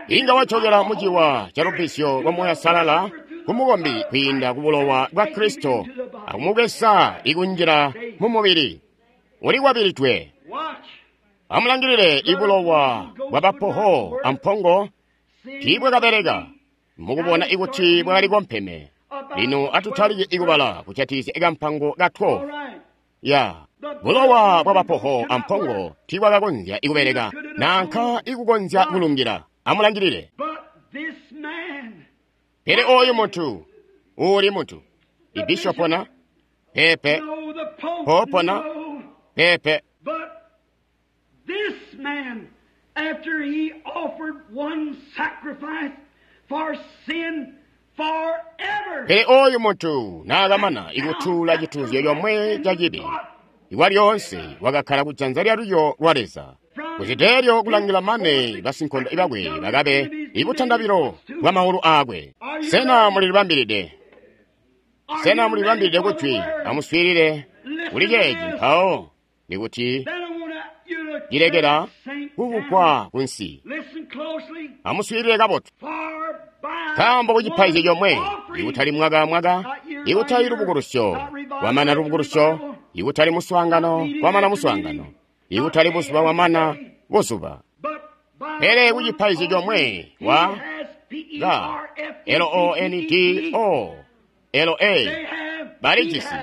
Inga wacokela muciwa ca lubbizyo lwa Muuya Salala ku mukombi kwiinda ku bulowa bwa Kristo akumubweza ikunjila mu mubili. Ulikwabilidwe. Amulangilile ibulowa bwa bapoho ampongo tiibwakabeleka mukubona ikuti bwakali kompeme. Lino atutalike ikubala kujatikizya ikampango ka 12. Ya bulowa bwa bapoho ampongo tiibwakakonzya ikubeleka nanka ikukonzya kulungila. Amulangilile. Pele oyu muntu uli muntu ibishopona pepe popona pepe. This man, after he offered one sacrifice for sin forever. Pele oyu muntu naakamana ikutuula cituuzyo comwe ca cibi ikwa lyoonse wakakkala kujanza lyalulyo lwa Leza. Kuciteelyo kulangila mane basinkondo bakwe bakabe ibutandabilo bwa maulu aakwe. Sena mulilibambilide? Sena mulilibambilide kujwi? Amuswiilile kuli ceeci mpawo nikuti cilekela kukugwa kunsi. Amuswiilile kabotu. Nkaambo kucipaizyo comwe ikutali mwaka amwaka, ikutali lubukulusyo kwamana lubukulusyo, ikutali muswaangano kwamana muswaangano, ikutali buzuba kwamana buzuba. Pele kucipaizyo comwe wa ka L-O-N-D-O L-A balijisi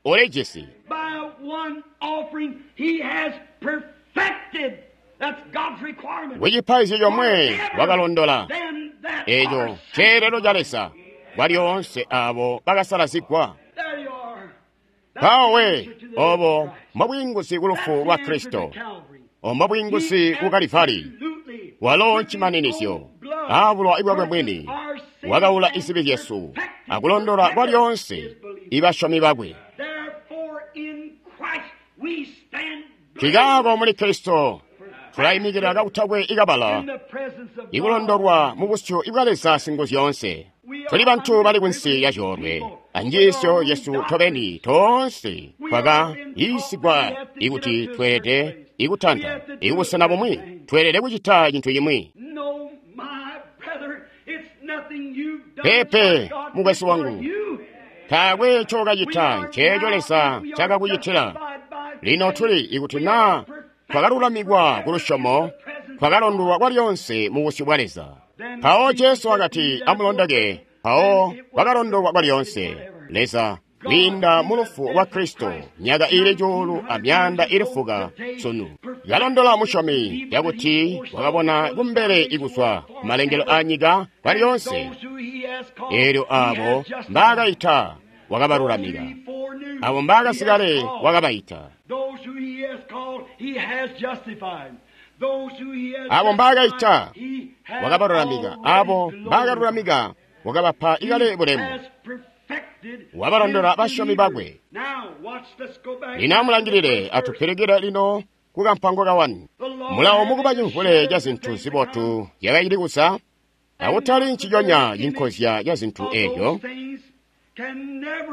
ulijisi. Kucipaizyo comwe wakalondola eco ceelelo ca Leza kwa lyoonse abo bakasalazigwa. Mpawo we obo mbobwiinguzi ku lufu lwa Kristo, obo mbobwiinguzi ku Kalivali. Walo ncimaninizyo aabulowa bwakwe mwini wakaula izibi zyesu akulondola kwa lyoonse ibasyomi bakwe. Nkikaako muli Kristo tulaimikila kakutakwe ikabala ikulondolwa mu busyu bwa Leza Singuzyoonse. Tuli bantu bali kunsi ya coolwe anjiisyo yesu tobeni toonse twaka yiisigwa ikuti tweelede ikutanta ikubusena bumwi, tweelede kucita cintu cimwi. Pepe mukwesu wangu, taakwe ncookacita nceeco Leza ncaakakucitila. Lino tuli ikuti naa twakalulamikwa ku lusyomo, twakalondolwa kwalyonse mu busyu bwa Leza. Mpawo Jesu wakati, amulondoke. Mpawo twakalondolwa kwalyonse. Leza kwiinda mu lufu lwa Kristo myaka ili 4,000 sunu kalondola musyomi yakuti wakabona kumbele ikuzwa kumalengelo a nyika kwalyonse. Eelyo abo mbaakaita wakabalulamika, abo mbaakasikale wakabaita, abo mbaakaita wakabalulamika, abo mbaakalulamika wakabapa ikale bulemu, wabalondola basyomi bakwe. Lino amulangilile, atupilukile lino ku kampango ka 1. Mulawo mukuba cimvule ca zintu zibotu zyakacili kuza, akutali nciconya cinkozya ca zintu eezyo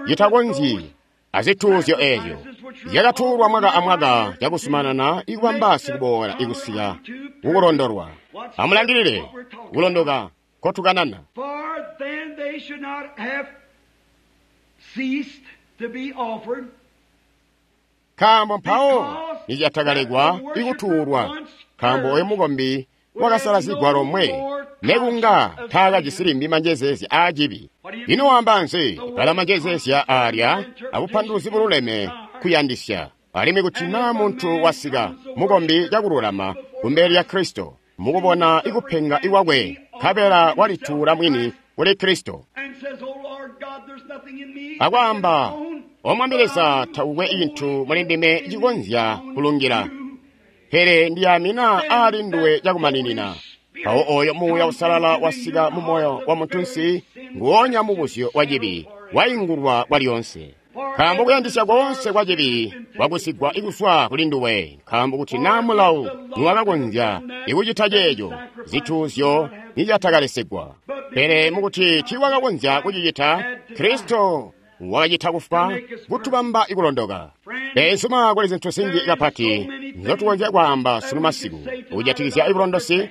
citakonzyi azituuzyo eezyo zyakatuulwa mwaka amwaka cakusumanana ikubamba sikuboola ikusika kukulondolwa. Amulangilile kulondoka kotukanana. Nkaambo mpawo nicyatakalekwa ikutuulwa, nkaambo oyo mukombi wakasalazigwa lomwe nekunga taakajisi limbi manjezeezya aacibi. Ino waamba nzi? Bala manjezeezya aalya abupanduluzi bululeme kuyandisya. Alimwi kuti naa muntu wasika mukombi cakululama kumbele lya Kristo mukubona ikupenga ikwakwe, nkabela walituula mwini kuli Kristo akwaamba, O Mwami Leza, takukwe cintu muli ndime cikonzya kulungila, pele ndiyamina aali nduwe cakumaninina. Mpawo oyo Muuya Usalala wasika mu moyo wa muntunsi, nguonya mubuzyo wa cibi waingulwa kwalyonse. Nkaambo kuyandisya koonse kwa cibi kwakusigwa ikuzwa kuli nduwe, nkaambo kuti naa mulawo niwakakonzya ikucita ceeco, zituuzyo nizyatakalesegwa. Pele mukuti tiiwakakonzya kucicita, Kristo Wakacita kufwa kutubamba ikulondoka. Beenzuma, kuli zintu zinji kapati nzyotukonzya kwaamba sunu masiku kujatikizya ibulondosi.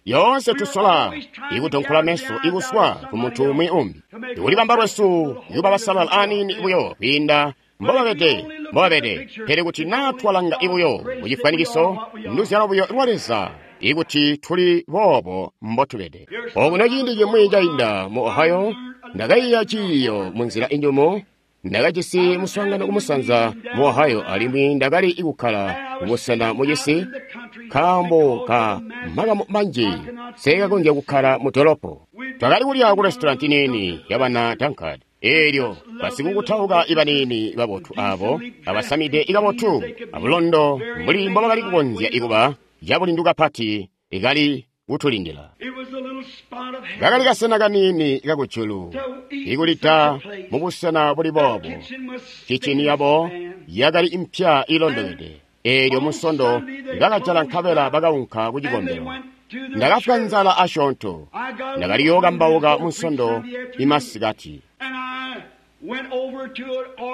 Yoonse tusola ikudonkola meso ikuswa ku muntu umwi umbi. Ikulibamba lwesu ikuba basalala aniini buyo kwiinda mbobabede. Pele kuti naa twalanga ibuyo mucifwanikiso, nduzyalo buyo lwa Leza ikuti tuli boobo mbotubede. Okuno ciindi cimwi cainda mu Ohio, ndakaiya ciiyo munzila injumu. Ndakajisi muswaangano kumusanza mu Ohio, alimwi ndakali kukkala kubusena mucisi nkaambo ka makamu manji seekakonzya kukkala mu dolopo. Twakali kulya ku restaurant niini yabana Dunkard. Eelyo basikukutauka ibaniini babotu aabo abasamide ikabotu abulondo mbuli mbobakali kukonzya ikuba cabulindu kapati ikali kutulindila. Kakali kasena kaniini kakujulu ikulida mubusena buli boobo. Kicini yabo yakali impya ilondokede. Eelyo Munsondo bakajala nkabela bakaunka ku cikombelo. Ndakafwa nzala asyoonto. Ndakali yookambauka Munsondo imasikati.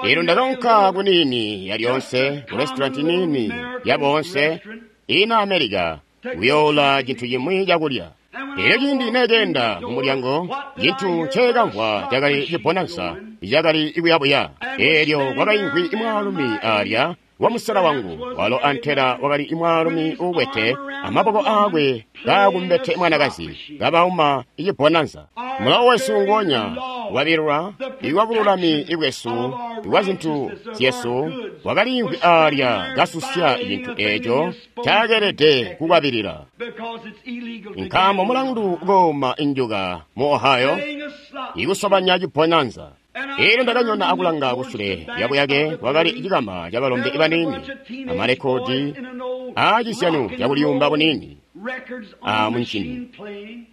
Eelyo ndakaunka kuniini yalyoonse ku restaurant niini yaboonse ina America kuyoola cintu cimwi cakulya. Eelyo ciindi nekeenda mumulyango, cintu nceekamvwa cakali cibonansa cakali kuyabuya. Eelyo kwakaimvwi mwaalumi aalya wamusela wangu, walo antela wakali mwaalumi uukwete amaboko aakwe kaakumbete mwanakazi kabauma icibonansa. Mulawo wesu nguonya wabilwa iwabululami bwesu iwa zintu zyesu wakaliimvwi aalya kasusya cintu eeco caakeelede kukwabilila. Nkaambo mulandu kooma injuka mu Ohio ikusobanya cibonanza. Eelyo ndakanyona akulanga kusule lyabuyake kwakali cikama cabalombe baniini amalekodi aacisyanu cakuliyumba buniini amuncini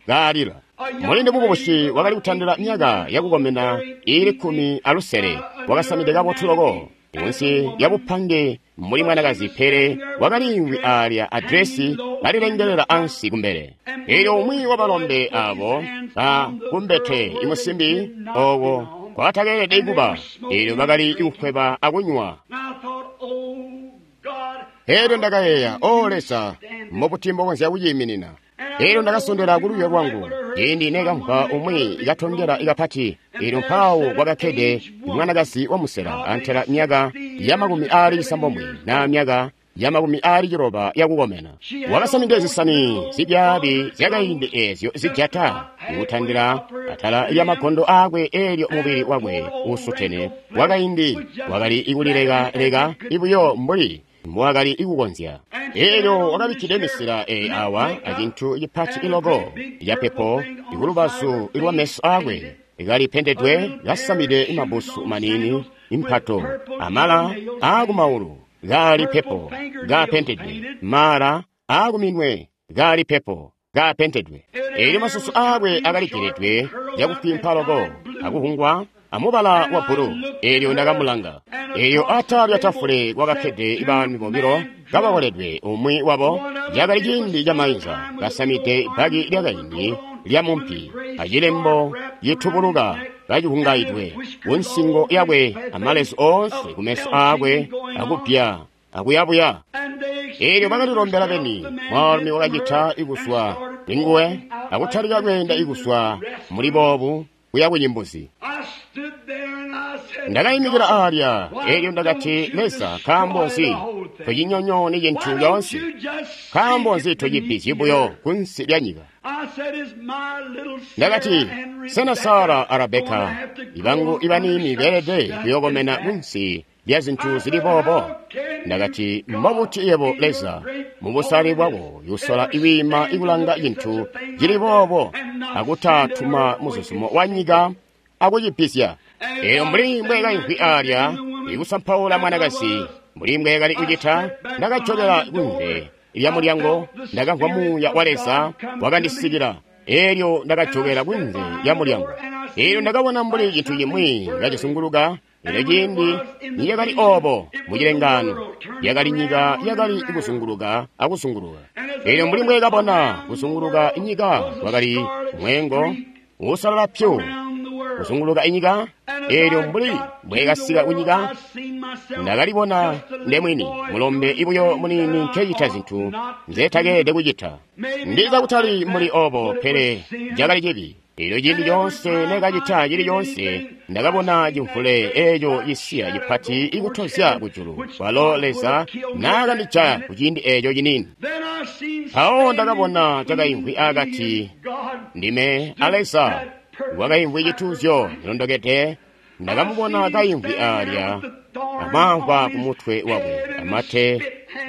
kaalila. Mulindi mukubusi wakali kutandila myaka yakukomena iili 16 wakasamide kabotu loko munsi lyabupange mbuli mwanakazi, pele wakaliimvwi aalya adresi kalilengelela ansi kumbele. Eelyo umwi wabalombe aabo kakumbete imusimbi ooko kwatakeelede kuba, eelyo bakali kukweba akunywa. Eelyo ndakayeeya, O Leza, mbobuti mbokonzya kuciiminina? Eelyo ndakasondela kulwiyo lwangu ciindi nekamvwa umwi katongela kapati. Eelyo mpaawo kwakakkede mwanakazi wamusela antela myaka ya 69 naa myaka ya 90 yakukomena. Wakasamide zisani zibyaabi zyakaindi eezyo zijata kutandila atala lya magondo aakwe. Eelyo mubili wakwe uusutene wakaindi wakali ikulilekaleka ibuyo mbuli mbowakali ikukonzya. Eelyo wakabikkide misila eyi awa acintu cipati iloko capepo ikulubazu lwa meso aakwe kalipendedwe, kasamide mabusu maniini, impato, amala aakumaulu kaali pepo kaapentedwe, mala aakuminwe kaali pepo kaapentedwe. Eelyo masusu aakwe akaligeledwe cakufwimpa loko akuhungwa amubala wa bbulu. Eelyo ndakamulanga. Eelyo atala lya tafule kwakakkede baalumi bobilo kabakoledwe. Umwi wabo cakali ciindi camainza kasamide bbaki lyakaindi lya mumpi acilembo citubuluka kacihungaidwe kunsingo yakwe amalezu oonse kumeso aakwe akupya akuyabuya. Eelyo bakalilombela beni. Mwaalumi wakacita ikuswa linguwe akutalika kweenda ikuswa muli boobu kuya kucimbuzi. Ndakaimikila aalya. Eelyo ndakati, Leza, nkaambo nzi tocinyonyooni cintu coonse? Nkaambo nzi tocipizyi buyo kunsi lya nyika? Ndakati, sena Sara a Rabeka ibangu ibaniini beelede kuyookomena kunsi lya zintu zili boobo? Ndakati, mbobuti yebo Leza mubusali bwako yusola iwiima ikulanga cintu cili boobo akutatuma muzuzumo wa nyika akucipizya? Eelyo mbuli mbweekaimvwi aalya ikusampaula mwanakazi mbuli mbweekali kucita, ndakajokela kunze lya mulyango. Ndakamvwa Muuya wa Leza wakandisikila. Eelyo ndakajokela kunze lya mulyango. Eelyo ndakabona mbuli cintu cimwi kacizunguluka. Eelyo ciindi nicakali oobo mucilengaano, yakali nyika yakali kuzunguluka akuzunguluka. Eelyo mbuli mbweekabona kuzunguluka nyika kwakali mweengo uusalala pyu. kuzunguluka inyika. Eelyo mbuli mbwekasika kunyika, ndakalibona ndemwini mulombe ibuyo muniini nkecita zintu nzetakeelede kucita. Ndiza kutali mbuli obo, pele cakali cibi. Eelyo ciindi coonse nekacita cili coonse, ndakabona cimvule eeco cisiya cipati ikutozya kujulu, kwalo Leza naakandijaya kuciindi eeco ciniini. Mpawo ndakabona cakaimvwi akati ndime a Leza, wakaimvwi cituuzyo cilondokede. Ndakamubona kaimvwi aalya, amamvwa ku mutwe wakwe, amate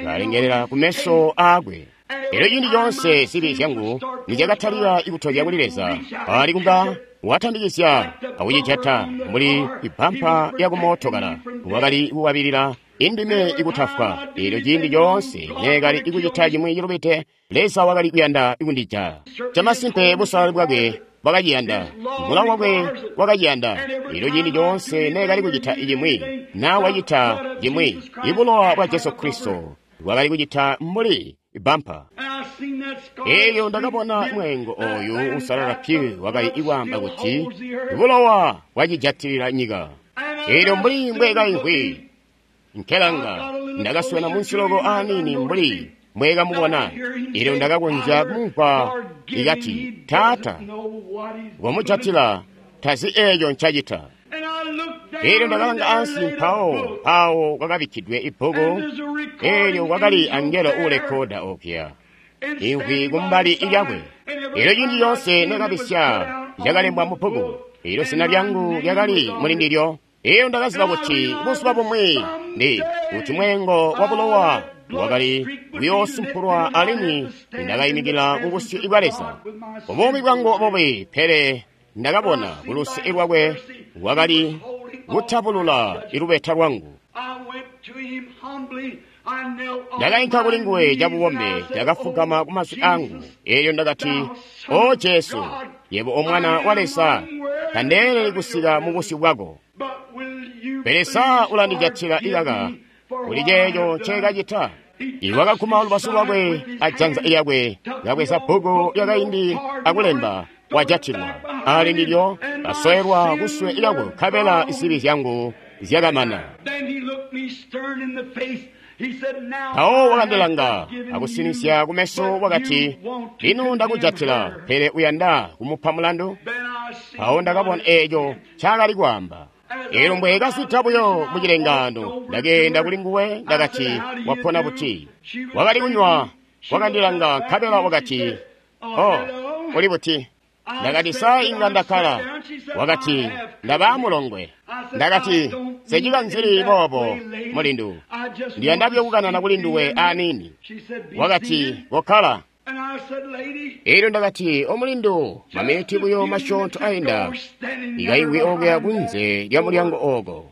kalengelela ku meso aakwe. Elyo ciindi coonse zibi zyangu nizyakatalika ikutozya kuli Leza, ali kunga watambikizya akucijata mbuli ibampa yakumootokala, wakali kuwabilila indime ikutafwa. Elyo ciindi coonse neekali ikucita cimwi cilubide, Leza wakali kuyanda ikundijaya. Camasimpe busalali bwakwe bwakaciyanda, mulawo wakwe wakaciyanda. Elyo ciindi coonse neekali kucita cimwi, naa wacita cimwi, ibulowa bwa Jesu Kristo bwakali kucita mbuli ibampa. Elyo ndakabona mwengo oyu usalala pyu wakali ikwaamba kuti bulowa bwacijatilila nyika. Elyo mbuli mbwekaimvwi nkelanga, ndakaswena munsi loko aniini mbuli mbwekamubona. Elyo ndakakonzya kumumvwa ikati, Taata, wamujatila, tazi eeco ncacita. Elyo ndakalanga ansi, mpawo mpawo kwakabikkidwe ibbuku. Elyo kwakali angelo uulekoda okuya, imvwi kumbali lyakwe. Elyo ciindi coonse nekabisya lyakalembwa mu bbuku, elyo zina lyangu lyakali muli ndilyo. Elyo ndakaziba kuti buzuba bumwi ndi kuti mwengo wa bulowa wakali kuyoosumpulwa, alimwi ndakayimikila ku busyu bwa Leza. Buumi bwangu bubi, pele ndakabona kuluse lwakwe wakali kutabulula ilubeta lwangu. Ndakainka kuli nguwe cabubombe, ndakafugama ku mazwi angu. Elyo ndakati, O Jesu, yebo o Mwana wa Leza, tandeeleli kusika mu busyu bwako. Pele sa ulandijatila ikaka kuli ceeco nceekacita? Iwakaguma lubazu lwakwe ajanza lyakwe, kabweza bbuku lyakaindi akulemba, wajatilwa. Ali ndilyo kasoelwa kuswe lyakwe, nkabela zibi zyangu zyakamana. Mpawo wakandilanga akusinisya kumeso, wakati, Lino ndakujatila, pele uyanda kumupa mulandu? Mpawo ndakabona eeco ncaakali kwaamba. Elyo mbwekazwida buyo mu cilengaano, ndakeenda kuli nguwe, ndakati, Wapona buti? Wakali kunywa, wakandilanga, nkabela wakati, Oh, uli buti? Ndakati, Sa inga ndakkala? Wakati, Ndaba mulongwe. Ndakati, Nsichikanzili boobo, mulindu. Ndiyanda buyo kukanana kuli nduwe aniini. Wakati, Kokkala. Elyo ndakati, Omulindu, maminiti buyo masyoonto ainda, ikaimvwi okuya kunze lya mulyango ooko.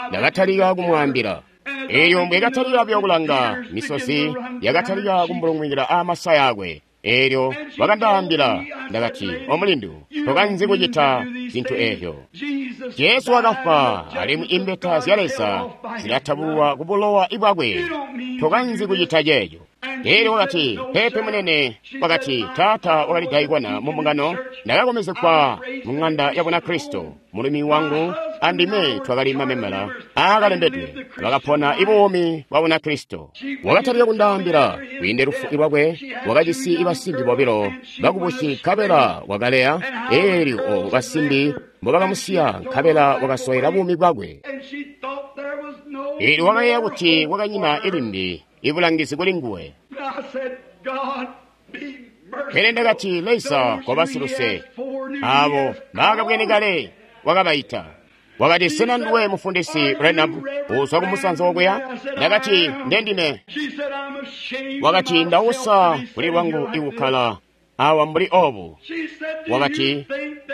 Ndakatalika kumwaambila. Elyo mbwekatalika buyo kulanga, misozi yakatalika kumbulungwikila aamasaya akwe. Elyo wakandaambila, ndakati, Omulindu, tokanzi kucita zintu eezyo. Jesu wakafwa, alimwi imbeta zya Leza zilatabulwa ku bulowa bwakwe. Tokanzi kucita ceeco. Elyo wakati, Peepe munene. Wakati, Taata wakali daikona mu mbungano, ndakakomezekwa mu ng'anda ya Bunakristo. Mulumi wangu andime twakali mamembala aakalembedwe, bakapona ibuumi bwa Bunakristo. Wakatalika kundaambila kwiinde lufu lwakwe, wakajisi basimbi bobilo bakubusi, nkabela wakaleya. Elyo obo basimbi mbobakamusiya, nkabela wakasoyela buumi bwakwe. Elyo wakayeeya kuti kwakanyina ilimbi ibulangizi kuli nguwe. Pele ndakati, Leza koba siluse, abo baakabwene kale wakabaita. Wakati, Sena nduwe mufundisi Branham uzwa kumusanza okuya? Ndakati, Ndendime. Wakati, Ndausa kuli lwangu ikukkala awa mbuli obu. Wakati,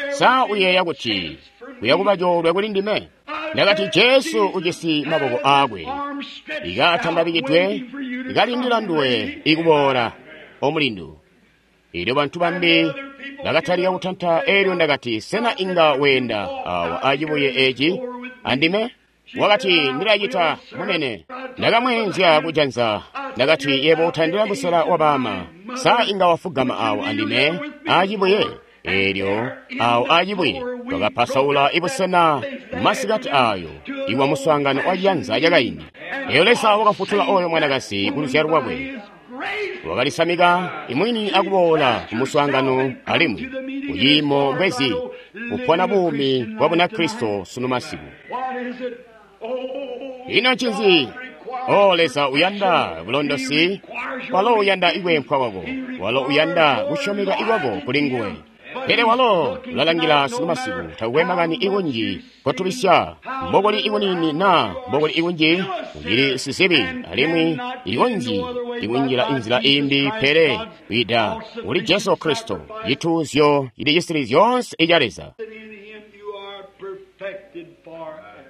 Sa uyeeya kuti kuyakuba coolwe kuli ndime? Ndakati, Jesu ujisi maboko aakwe ikatandabikidwe ikalindila nduwe ikuboola, omulindu. Elyo bantu bambi bakatalika kutanta. Elyo ndakati, Sena inga weenda awa acibuye eci andime? Wakati, Ndilacita, munene. Ndakamweenzya kujanza. Ndakati, Yebo utandila musela wa baama. Sa inga wafugama awo andime acibuye? Elyo awo acibuye Twakapasaula ibusena masikati ayo iwa muswaangano wa ciyanza cakaindi. Eyo Leza wakafutula oyo mwanakazi ku luzyalo lwakwe. Wakalisamika imwini akuboola ku muswaangano alimwi kuciimo mbwezi kupona buumi bwa Bunakristo sunu masiku. Ino ncinzi? O Leza uyanda bulondosi, walo uyanda ikwempwa kwako, walo uyanda kusyomeka ikwako kuli nguwe. Pele walo ulalangila sunu masiku takukwe makani ikunji kotubisya, mbokuli ikunini na mbokuli ikunji ucili sizibi alimwi ikunji ikunjila inzila imbi pele kwida kuli Jesu Kristo, cituuzyo cili cisili zyoonse ica Leza.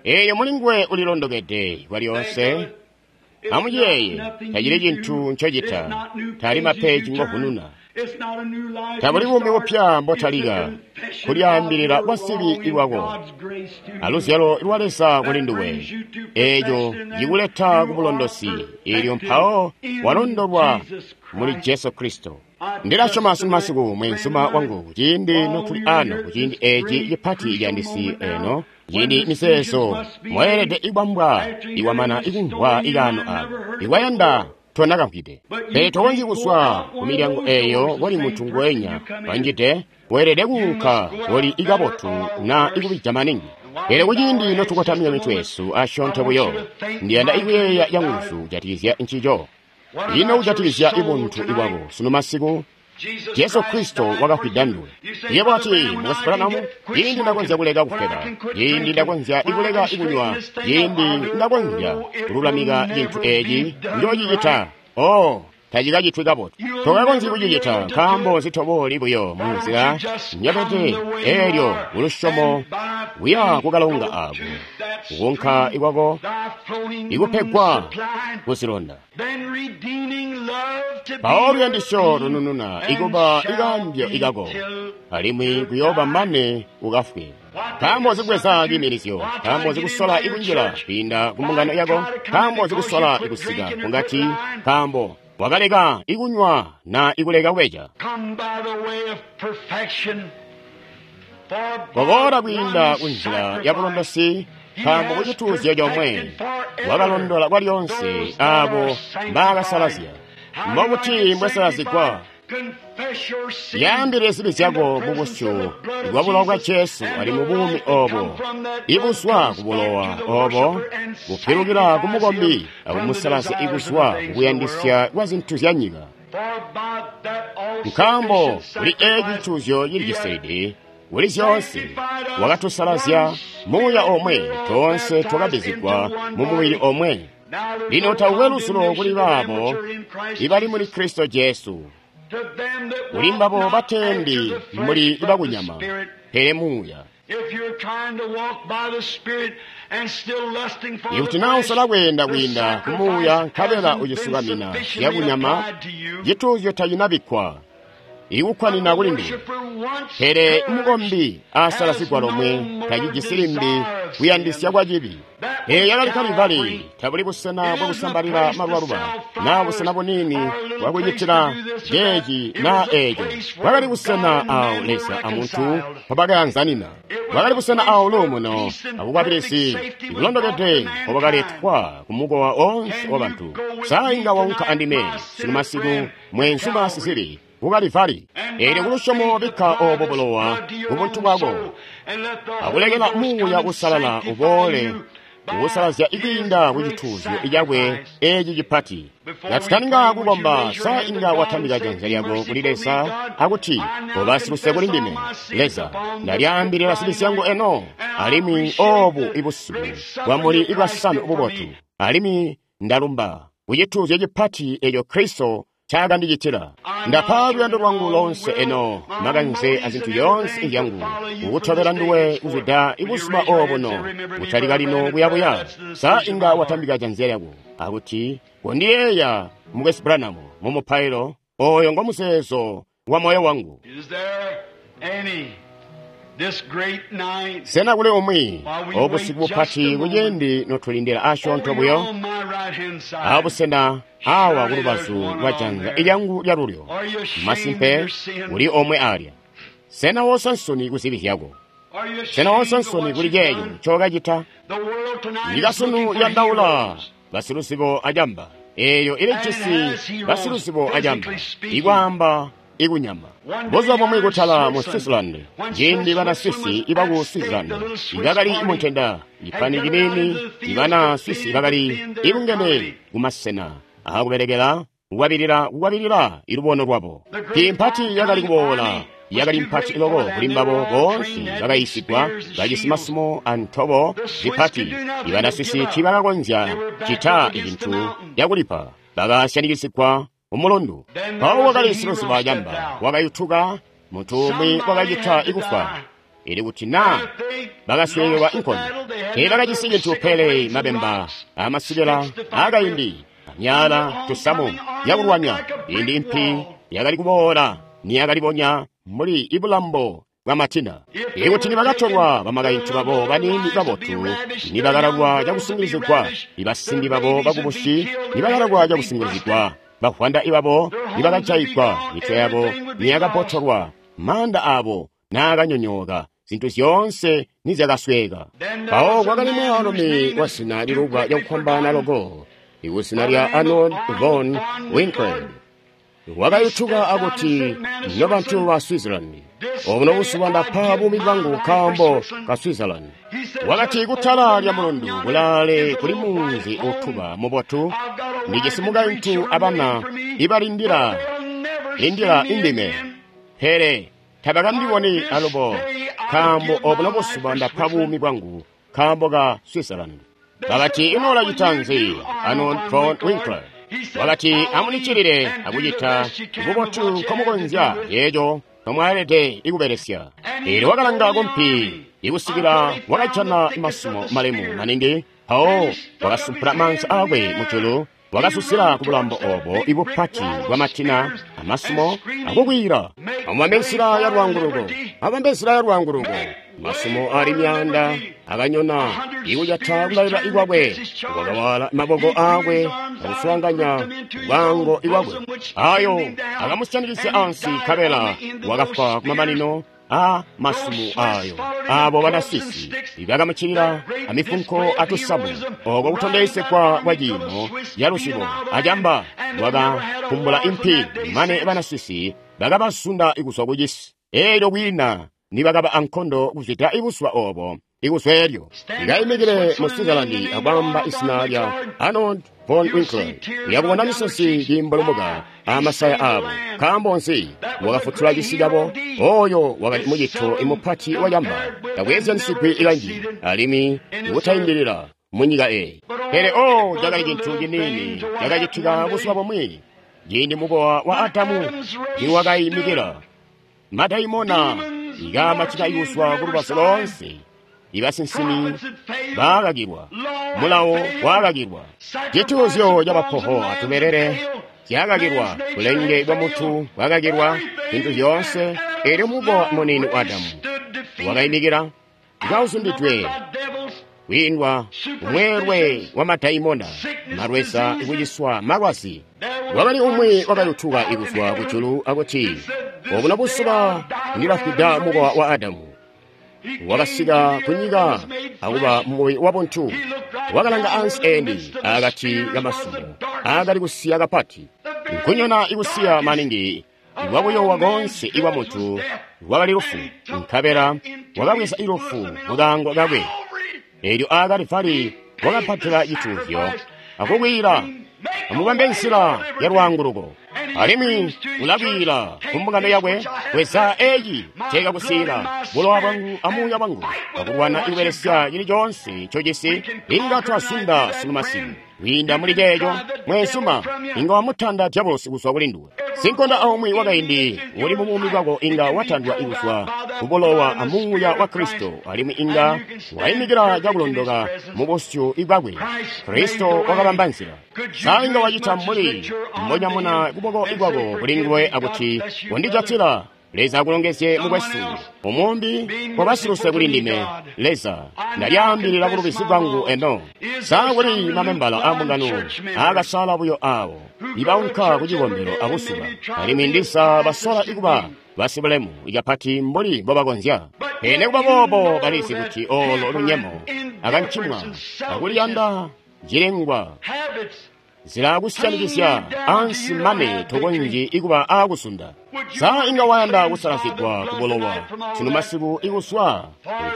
Eyo muli nguwe ulilondokede kwalyonse. Amuyeeye, tacili cintu ncocita, tali mapeji ngovununa. Tabuli buumi bupya mbotalika, kulyaambilila kwa sibi iwako, aluzyalo lwa Leza kuli nduwe. Eeco cikuleta ku bulondosi, eelyo mpawo walondolwa muli Jesu Kristo. Ndilasyoma sunu masiku mweenzuma wangu ciindi notuli ano kuciindi eeci cipati ciyandisi eno, ciindi miseeso mweelede ikwambwa iwamana ikumvwa ikaano ako ikwayanda tonakamvwide. Pele tokonzyi kuzwa ku milyango eeyo koli muntu ngwenya wanjide, weelede kuunka koli ikabotu na ikubija maningi. Pele kuciindi notukotamika mitwe yesu asyoonto buyo, ndiyanda ikuyeeya canguzu kujatikizya ncico. Ino kujatikizya ibuntu ibwako sunu masiku, Jesu Kristo wakafwida nduwe. Yebo ati, Mukwesu Branham, ciindi ndakonzya kuleka kufweba, ciindi ndakonzya ikuleka ikunywa, ciindi ndakonzya kululamika cintu eeci, njoocicita. Oh, tacikacitwi kabotu. Tokakonzyi kucicita nkaambo zitobooli buyo mu nzila nyabete eelyo kulusyomo kuya kukalonga ako, kukunka ikwako ikupegwa kuzilonda. Mpawo luyandisyo lunununa ikuba ikambyo ikako, alimwi kuyooba mane ukafwe. Nkaambo zikubweza ciimilizyo, nkaambo zikusola ikunjila kwiinda ku mbungano yako, nkaambo zikusola ikusika kungati, nkaambo wakaleka ikunywa na ikuleka kubeja. Koboola kwiinda kunzila ya bulondosi, nkaambo kucituuzyo comwe wakalondola kwalyonse abo mbaakasalazya. Mbobuti mbwesalazigwa? Yaambile zibi zyako mu busyu bwa bulowa bwa Jesu ali mu buumi obo, ibuzwa ku bulowa obo bupilukila ku mukombi akumusalazya ikuzwa kukuyandisya kwa zintu zya nyika. Nkaambo kuli eeci cituuzyo cili cisilidi kuli zyoonse wakatusalazya muuya omwe, toonse twakabizigwa mu mubili omwe. Lino takukwe lusulo kuli baabo ibali muli Kristo Jesu, kuli mbabo batendi muli bakunyama, pele muuya. Ikuti naa usola kweenda kwiinda ku muuya nkabela ucisukamina zyakunyama, cituuzyo tacinabikkwa ikukwanina kuli nduwe. Pele mukombi asalazigwa lomwe tacijisi limbi kuyandisya kwa cibi. Eeyo yakali Kalivali, tabuli busena bwakusambalila malubaluba naa busena buniini bwakucitila ceeci naa eeco. Bwakali busena awo Leza amuntu mpobakayanzanina. Bwakali busena awo luumuno abukwabilizi ibulondokede mpobwakaletwa ku mukowa oonse wabantu. Sa inga waunka andime sunu masiku mweenzuma sizibi ku Kalivali? Eelyo kulusyomo bikka obo bulowa ku buntu bwako, akulekela muuya usalala uboole kukusalazya ikwiinda ku cituuzyo cakwe eeci cipati. Katutaninga kukomba, sa inga watambika janza lyako kuli Leza akuti, koba siluse kuli ndime, Leza, ndalyaambilila zibi zyangu eno, alimwi obu ibusiku bwamuli ibwasanu bubotu, alimwi ndalumba ku cituuzyo cipati eeco Kristo caakandicitila. Ndapa luyando lwangu lonse eno, makanze azintu yoonse izyangu, kukutobela nduwe kuzwida ibuzuba obuno, kutalika lino kuyabuya. Sa inga watambika janza lyako akuti, kondiyeeya Mukwesu Branham mu mupailo, oyo ngo muzeezo wa moyo wangu. Sena kuli umwi obusiku bupati kuciindi notulindila asyoonto buyo abusena awa kulubazu lwa janza ilyangu lyalulyo, masimpe kuli omwe alya. Sena woosa nsoni ku zibi zyako? Sena woonse nsoni kuli ceeco ncookacita? Nyika sunu yandaula basiluzibo acamba. Eeyo ilijisi basiluzibo acamba, ikwaamba ikunyama. Buzuba bumwi kutala mu Switzerland, ciindi bana Swisi ibaku Switzerland ibakali muntenda, ipani ciniini ibana Swisi bakali ibungene kumasena aakubelekela kukwabilila ilubono lwabo. Impati yakali kuboola yakali mpati loko kuli mbabo boonse bakayiisigwa bajisi masumo antobo zipati. Ibana Swisi tiibakakonzya cita cintu cakulipa, bakasyaanikisigwa umulundu. Mpawo wakali siluzibo acamba wakayutuka, muntu umwi wakacita ikufwa, ili kuti naa bakasweekelwa inkondo. Teebakajisi cintu pele mabemba amasikela aakaindi, amyaala, tusamu yakulwanya. Indi impi yakali kuboola niyakalibonya mbuli ibulambo bwa matina. Ikuti nibakatolwa bamakaintu babo baniini babotu, nibakalabwa cakusungilizigwa, ibasimbi babo bakubusi nibakalabwa cakusungilizigwa, bavwanda ibabo nibakajayigwa, mitwe yabo niyakabotolwa, maanda abo naakanyonyooka, zintu zyoonse nizyakasweeka. Mpawo kwakali mwaalumi wazina lilubwa cakufwambaana loko, ikuzina lya Arnold von Winkelried. Wakayutuka akuti, nobantu ba Switzerland, obuno buzuba ndapa buumi bwangu nkaambo ka Switzerland. Wakati kutala lya mulundu kulaale kuli munzi utuba mubotu, ndijisi mukaintu abana ibalindila lindila indime, pele tabakandiboni alubo, nkaambo obuno buzuba ndapa buumi bwangu nkaambo ka Switzerland. Bakati, ino ulacita nzi, Arnold von Winkelried? Wakati, amunicilile akucita bubotu nkomukonzya yeeco nkomwalede ikubelesya. Eelyo wakalanga kumpi ikusikila wakajana masumo malemu maningi, mpawo wakasumpula maanza aakwe mujulu, wakasusila ku bulambo obo ibupati bwamatina amasumo akukwiila, amubambe nzila ya lwaanguluko, amubambe nzila ya lwaanguluko. Masumo ali myaanda akanyona ikujata kulalila ikwakwe, wakawala maboko aakwe akuswaanganya bwango ikwakwe. Ayo akamusyanikisya ansi, nkabela wakafwa kumamanino a masumo ayo. Abo bana Swisi bakamuccilila amifunko atusamu, oko kutondezegwa kwa ciimo caluzibo acamba wakakumbula impi, mane bana Swisi bakabazunda kuzwa kucisi. Eelyo kwiina nibakaba ankondo kuzwida ibuzuba obo ikuzwa elyo. Ikaimikile mu Switzerland akwamba izina lya Arnold von Winkelried, uyakubona misozi kiimbulumuka amasaya abo. Nkaambo nzi? Wakafutula cisi cabo. Oyo wakali mucito imupati wacamba, takweezyansigwi ikanji alimwi ikutayindilila munyika eyi. Pele o cakali cintu ciniini cakacitika buzuba bumwi ciindi mukowa wa Adamu niwakayimikila. Madaimona ikamacita ikuzwa kulubazu loonse. Ibasinsimi baakakilwa, mulawo waakakilwa, cituuzyo cabapoho atubelele zyakakilwa, bulenge bwa muntu bwakakilwa, zintu zyoonse. Eelyo mukowa muniini wa Adamu wakayimikila kauzundidwe kwiindwa umweelwe wa madaimona, malweza ikuciswa malwazi. Wakali umwi wakayutuka ikuzwa kujulu akuti, obuno buzuba ndilafwida mukowa wa Adamu. Wakasika kunyika akuba mumubili wabuntu. Wakalanga ansi eeni akati kamasumo aakali kusiya kapati, nkunyona ikusiya maningi iwakuyowa konse ikwa muntu lwakali lufu, nkabela wakabweza ilufu mukaango kakwe. Eelyo aakalivali wakapatila cituuzyo akukwiila, amubambe nzila ya lwaanguluko. Alimwi ulakwiila kumbungano yakwe, bweza eeci cekakusiila bulowa bwangu amuuya bwangu, akulwana ikubelesya cili coonse ncojisi. Inga twasunda sunu masiku kwiinda muli ceeco, mweenzuma inga wamutanda dyabulosi kuzwa kuli nduwe. Sinkonda aumwi wakaindi uli mubuumi bwako inga watandwa kuzwa kubulowa amuuya wa Kristo, alimwi inga waimikila cakulondoka mubusyu bwakwe. Kristo wakabamba nzila. Sa inga wacita mbuli mbonyamuna kuboko ikwako kuli nguwe akuti, wandijatila, Leza akulongezye mukwesu, umumbi wabasiluse kuli ndime. Leza, ndalyaambilila bulubizi bwangu eno. Sa kuli mamembala ambungano aakasala buyo awo ibaunka ku cikombelo abuzuba, alimwi ndiza basola ikuba basibulemu ikapati mbuli mbobakonzya. Pele nekuba boobo balizi kuti olo lunyemo akancimwa akuliyanda cilengwa zilakusyanikizya ansi mane tokonzyi ikuba aakusunda. Sa inga wayanda kusalazigwa kubulowa sunu masiku ikuswa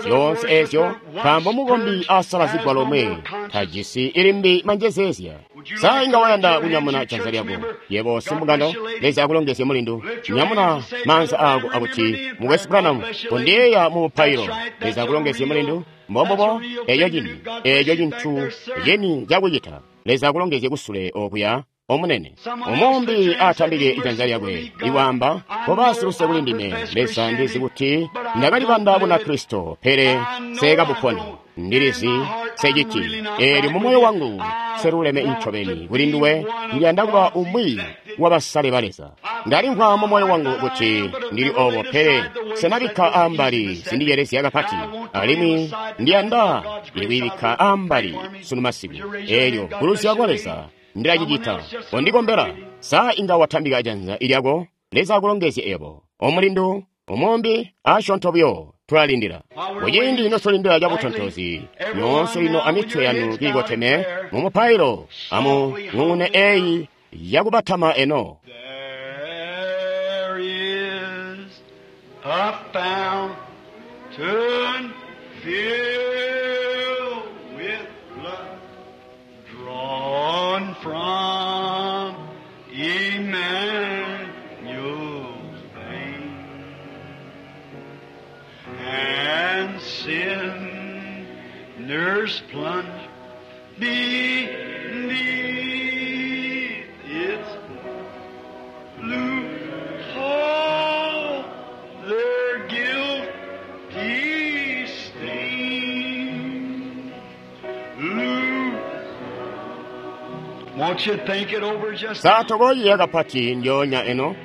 zyoonse ezyo, nkaambo mukombi asalazigwa lomwe tajisi ilimbi manjezeezya. Sa inga wayanda kunyamuna janza lyako yebo simbungano? Leza akulongezye mulindu. Nyamuna maanza ako akuti, Mukwesu Branham, kondiyeeya mu mupailo. Leza akulongezye mulindu. Mbombobo, eco cini, eco cintu cini cakucita. Leza akulongezye kusule okuya omunene. Umumbi atambike ijanza lyakwe iwaamba, koba siluse kuli ndime. Leza, ndizi kuti ndakalibanda kuna Kristo, pele nsekabuponi. Ndilizi seciti eelyo mu moyo wangu seluleme ncobeni kuli nduwe. Ndiyanda kuba umwi wabasale ba Leza. Ndalimvwa mu moyo wangu kuti ndili obo, pele senabikka ambali zindicelezya kapati, alimwi ndiyanda ikuyibikka ambali sunu masiku. Eelyo kuluzya kwa Leza ndilacicita. Kondikombela. Sa inga watambika janza ilyako? Leza akulongezye ebo omulindu umumbi. Asyoonto buyo tulalindila. Kuciindi notulindila cabutontozi, nyoonse lino amitwe yanu kiikoteme mu mupailo, amu ng'ung'une eyi yakubatama eno. There is a fountain filled with blood drawn from Emmanuel's vein, and sinners plunge beneath its blue all their guilty stain. Blue. Won't you think it over just Sa tokoyiya kapati ndyoonya eno.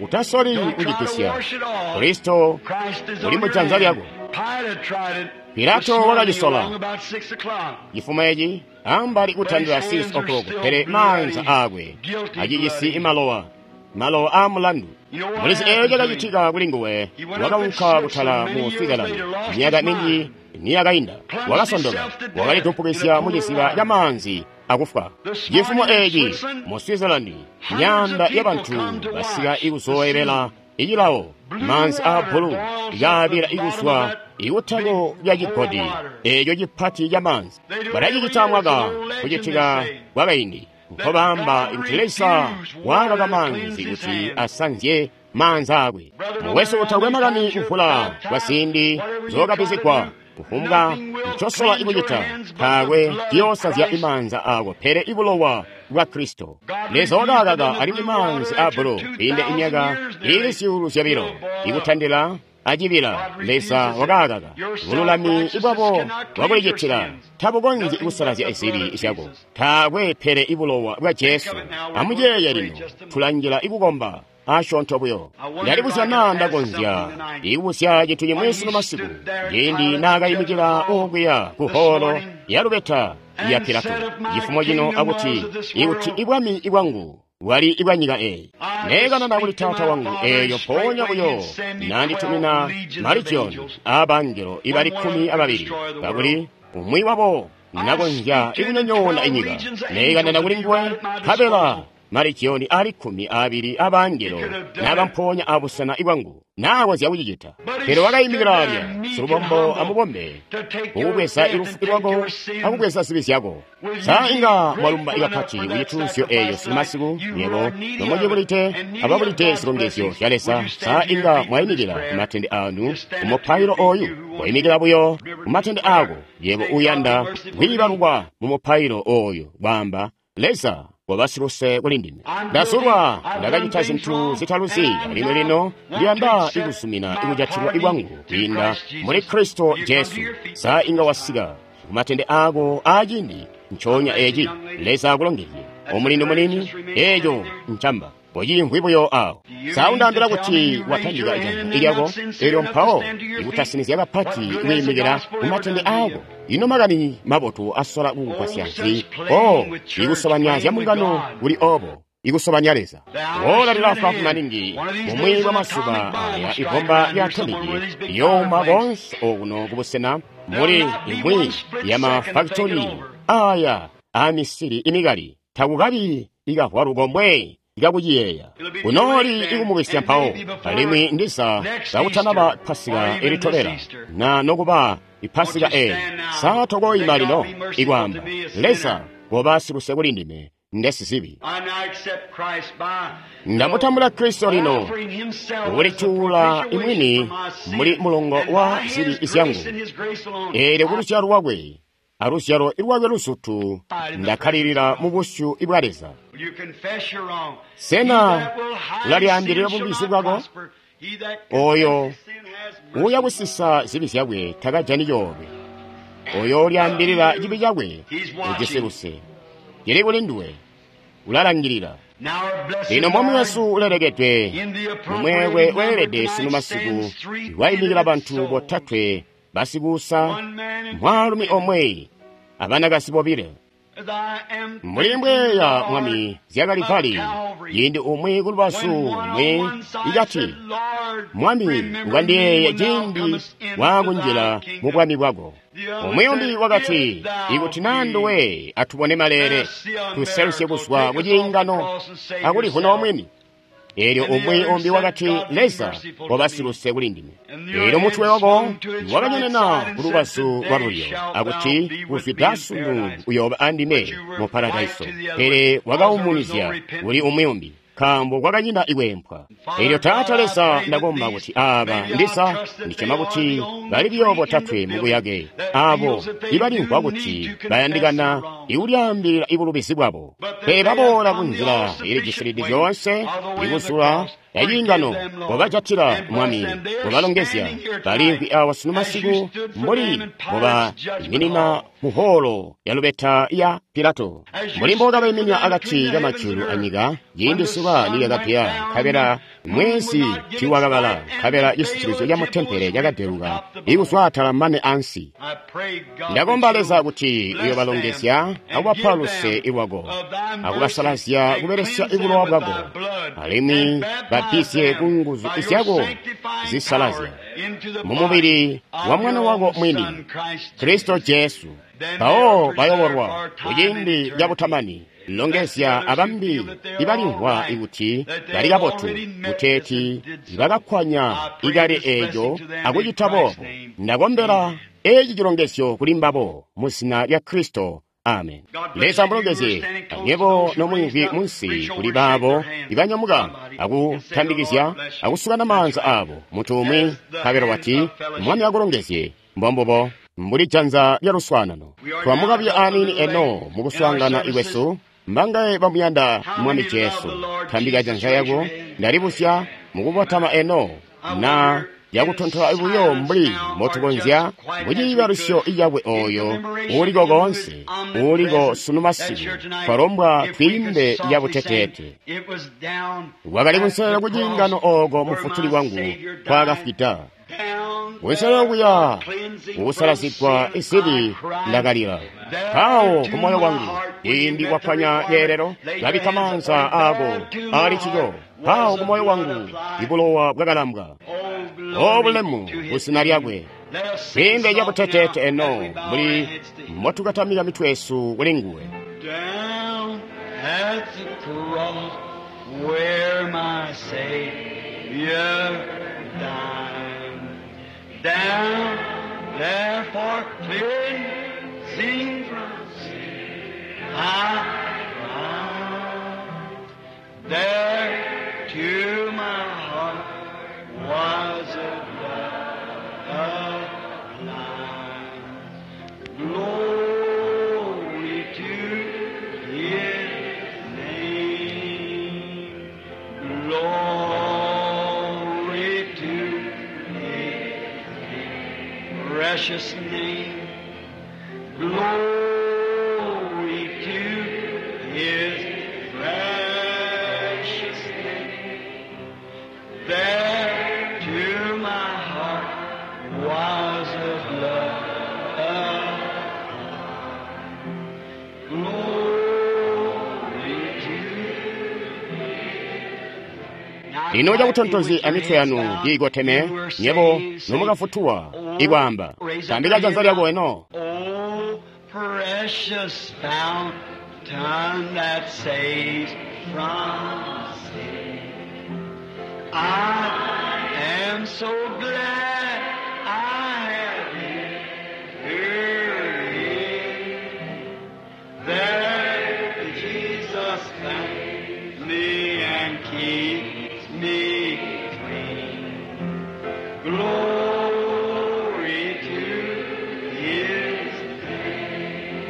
Utasoli Don't try to kucipisya. wash it off. Kristo Christ is uli on mu your janza hand. lyako. Pilate tried it Pilato this morning wakacisola. along about 6 o'clock. Chifumo ichi ambali kutandira 6 o'clock, pele maanza akwe acijisi imalowa malowa a mulandu. Mulizi eyo cakacitika kuli nguwe. Wakaunka kutala mu Switzerland myaka minji niyakainda, wakasondoka, wakalidumpukizya mu ciziba ca maanzi akufwa. Chifumo eci mu Switzerland myanda ya bantu basika ikuzoyebela icilawo maanzi a bulu yaabila ikuswa ikutako lya cigodi eco cipati ca maanzi. Balacicita mwaka kucitika kwakaindi nkobaamba kuti Leza wakaka maanzi kuti asanzye maanza akwe. Mukwesu, utakwe makani kuvula kwa ziindi zokapizigwa, kufumbwa ncosola ikucita, taakwe ciyoosazya imaanza ako pele ibulowa bwa Kristo. Leza wakakaka alimwi maanzi a bulu kwiinda imyaka ili 2,000 ikutandila acibila. Leza wakakaka. Bululami bwabo bwakulicitila tabukonzyi kusalazya zibi zyako. Taakwe pele ibulowa bwa Jesu. Amuyeeye lino, tulanjila ikukomba asyoonto buyo. Ndalibuzya naa ndakonzya ikubuzya cintu cimwi sunu masiku. Ciindi naakayimikila okuya ku holo ya lubeta ya Pilato cifumo cino akuti, ikuti ibwami ibwangu bwali ibwa nyika eyi, neekanana kuli taata wangu eeyo mpoonya buyo nanditumina maligioni aabangelo ibali 12, kakuli umwi wabo nakonzya ikunyonyoona inyika. Neekanana kuli nguwe, nkabela maligioni ali 12 abangelo nabamponya abusena ibwangu, nakonzya kucicita. Pele wakayimikila alya silubombo amubombe ukubweza ilufu lwako akubweza zibi zyako. Sa inga mwalumba ikapati kucituuzyo eeyo sunu masiku, nyebo nomucibulite ababulite zilongezyo zya Leza? Sa inga mwayimikila kumatende anu mumupailo oyu? Wayimikila buyo kumatende ako yebo uyanda kwiibalukwa mu mupailo oyu, kwaamba, Leza, wabasiluse kuli ndime. Ndazulwa, ndakacita zinthu zitaluzi, alimwi lino ndiyanda ikuzumina ikujatilwa ikwangu kwiinda muli Kristo Jesu. Sa inga wasika kumatende ako aacindi nconya eci? Leza akulongezye omulindu munini. Eco ncamba pocimvwi buyo awo. Sa undaambila kuti watambika janza ilyako elyo mpawo ikutasinizya kapati kwiimikila kumatende ako? Ino makani mabotu asola kukugwasya nzi? O, ikusobanya zya mbungano kuli obo. ikusobanya Leza. Ola lilafwaafwi maningi, bumwi bwa mazuba aya ibomba lya atomiki iyooma konse okuno kubusena muli imwi ya mafakitori aya amisiri imikali. Takukabi ikavwalu komwe ikakuciyeeya. Kunooli ikumubisya mpawo, alimwi ndiza kakutanaba Pasika ilitobela, na nokuba Ipasika eyi. Sa tokoima lino ikwaamba, Leza koba siluse kuli ndime ndesizibi. Ndamutambula Kristo lino, kulituula imwini muli mulongo wa zibi zyangu. Eelyo kuluzyalo lwakwe aluzyalo lwakwe luzutu ndakkalilila mu busyu bwa Leza. Sena ulalyaambilila bubizi bwako? Oyo uuyakusisa zibi zyakwe takajani coolwe. Oyo ulyaambilila cibi cakwe ujisi luse. Cili kuli nduwe, ulalangilila. Lino Mwami wesu ulelekedwe, mumweelwe weelede sunu masiku iwayimikila bantu botatwe basikuusa, mwaalumi omwe abanakazi bobile. Mbuli mbweya Mwami zyakali vali, ciindi umwi kulubazu lumwi ikati, Mwami ukandiyeeye ciindi waakunjila mu bwami bwako. Umwi umbi wakati, ikuti naa nduwe atubone maleele, tuselusye kuzwa ku ciingano akulivuna omwini. Eelyo umwi umbi wakati, Leza koba siluse kuli ndime. Eelyo mutwe wako wakanyonena kulubazu lwalulyo akuti, kuzwida sunu uyooba andime mu paradaiso. Pele wakaumunizya kuli umwi umbi, nkaambo kwakanyina ikwempwa. Eelyo Taata Leza ndakomba kuti aaba ndiza ndisyoma kuti bali buyo botatwe mubuyake, aabo ibalimvwa kuti bayandikana ikulyaambilila ibulubizi bwabo. Pele baboola kunzila ilijisilidi zyoonse, ikuzula yaciingano, kobajatila Mwami, kobalongezya. Baliimvwi awa sunu masiku mbuli mbobayiminina mu holo ya lubeta ya Pilato, mbuli mbokabayiminina akati kamajulu anyika ciindi zuba nilyakapya, nkabela mwezi tiiwakabala, nkabela cisitilizyo ca mutempele cakadeluka ikuzwa atala mane ansi. Ndakomba Leza kuti uyobalongezya akubapa luse lwako, akubasalazya kubelesya bulowa bwako, alimwi babbizye ku nguzu zyako zisalazya mumubili wa Mwana wako mwini, Kristo Jesu. Mpawo bayobolwa kuciindi cabutamani. Longezya abambi ibalimvwa kuti bali kabotu, kuteeti bakakkwanya ikale eeco akucita boobo. Ndakombela eci cilongezyo kuli mbabo mu zina lya Kristo. Amen. Leza amulongezye anywebo nomwiimvwi munsi kuli baabo ibanyamuka akutambikizya akusukana maanza aabo muntu umwi nkabela wati, Mwami akulongezye. Mbombubo mbuli janza lya luswaanano. Twamukabya aniini eno mukuswaangana ikwesu. Mbangaye bamuyanda Mwami Jesu? Tambika janza yako. Ndalibusya mukubotama eno na yakutontola buyo mbuli mbotukonzya muciibalusyo icakwe oyo uuliko koonse, uuliko sunu masiku. Twalombwa twiimbe yabuteteete. Wakali kunselelo ku ciingano ooko Mufutuli wangu kwaakafwida. Kunselelo kuya kukusalazigwa izibi ndakalila. Mpawo ku moyo wangu ciindi kwapwanya ceelelo, kabikka maanza aako ali ncico. Mpawo ku moyo wangu ibulowa bwakalambwa. O bulemu kuzina lyakwe. Twiimbe cabuteteete eno mbuli mbotukatamika mitwe yesu kuli nguwe. Down at the cross where my Savior died. Down there for cleansing from sin I cried. There to my heart was a blood applied. Glory to His name. Glory to His precious name. Glory to His precious name. There to my heart was a blood. Glory to Lino cakutontozi amitwe yanu kiikoteme, nyebo nomukafutulwa, ikwaamba, tambika janza lyako eno. Oh, precious fountain that saves from sin. I am so glad I have entered in. There Jesus found me and keeps me clean. Glory to His name.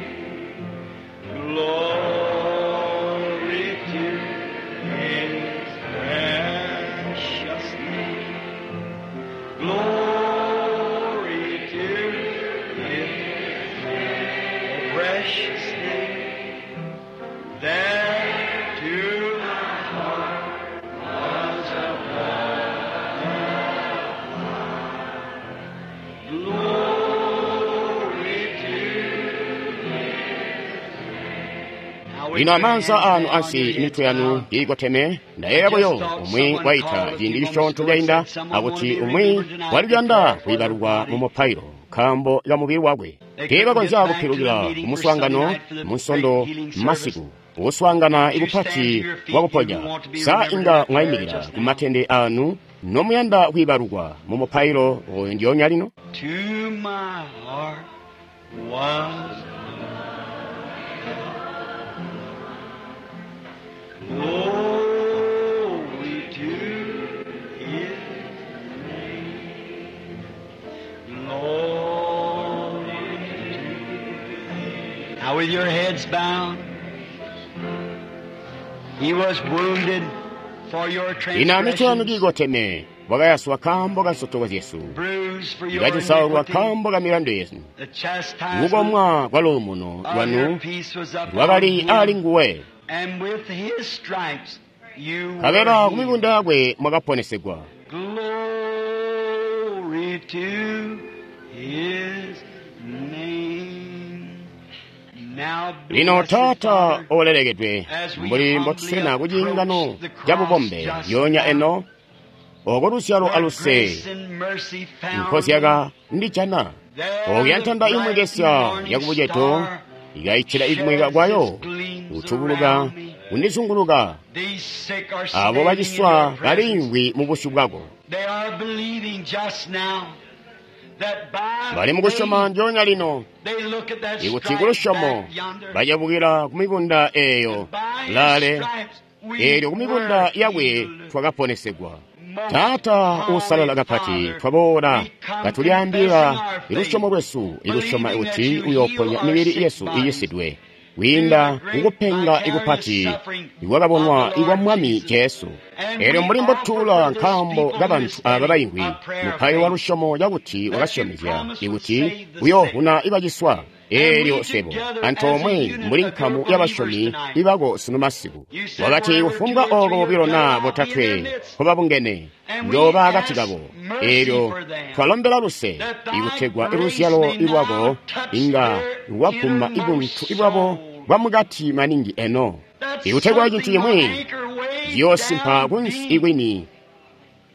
Glory to His precious name. Glory to His name. Precious name. There to my heart was a Glory to Lino amaanza anu ansi imitwe yanu kiikoteme, ndayeeya buyo umwi waita ciindi cisyoonto cainda akuti umwi waliyanda kwiibalukwa mu mupailo nkaambo ka mubili wakwe. Teebakonzya kupilukila ku muswaangano mu Nsondo masiku, kuswaangana ikupati kwakuponya. Sa inga mwayimikila ku matende anu nomuyanda kwiibalukwa mu mupailo oyo ndyoonya lino? To my heart was glory to His name. Glory to Now with your heads bowed, He was wounded for your Lino amitwe yanu transgressions, kiikoteme, wakayaswa nkaambo ka nsotoko zyesu, bruised for your ikacisaulwa iniquity. nkaambo ka milandu yesu. The chastisement Kukomwa kwa luumuno of your lwanu peace was upon lwakali ali him, nguwe, and with his stripes you were nkabela ku healed. mibunda yakwe mwakaponesegwa. Glory to his name. Now, Lino blessed Taata Father, olelekedwe, mbuli mbotuswena ku ciingano ca bubombe lyoonya eno, oko luzyalo where aluse grace and mercy found nkozyaka ndijana, there okuya the ntanda bright imwekesya morning yakubuceto star ikayitchera ikumweka kwayo, kutubuluka around me. kundizunguluka. These sick are Abo standing in baciswa your presence. baliimvwi mu busyu bwako, They are believing just now that by bali mukusyoma faith ndyoonya lino they look at that ikuti stripe kulusyomo back yonder. bacabukila ku mibunda eyo By his lale, stripes we eelyo ku mibunda were yakwe healed. twakaponesegwa. Most Taata uusalala holy kapati, Father, twaboola we come katulyaambila confessing our faith, ilusyomo lwesu, ilusyoma believing that kuti you uyooponya heal our mibili sick yesu bodies iyisidwe kwiinda through the great kukupenga vicarious ikupati suffering ikwakabonwa of the ikwa Lord Mwami Jesus. Jesu. And Eelyo we mbuli offer mbotuula for those nkaambo people who kabantu is aba standing baimvwi a prayer of mupailo wa faith lusyomo cakuti that you wakasyomezya promised would ikuti save the sick. uyoovuna ibaciswa. And Eelyo we swebo together as a antoomwe unit mbuli of nkamu your believers y'abasyomi tonight. ibako sunu masiku, You said wakati wherever kufumbwa two or oko three are bobilo gathered, naa I'll be in their botatwe midst. nkobabungene And we njooba akati ask kabo. mercy Eelyo for them, twalombela luse that thy ikutegwa grace iluzyalo may now lwako touch inga their lwaguma ibuntu innermost ibwabo soul. bwamukati maningi eno, That ikutegwa cintu something will cimwi anchor way ciyoosimpa down kunsi deep, ikwini that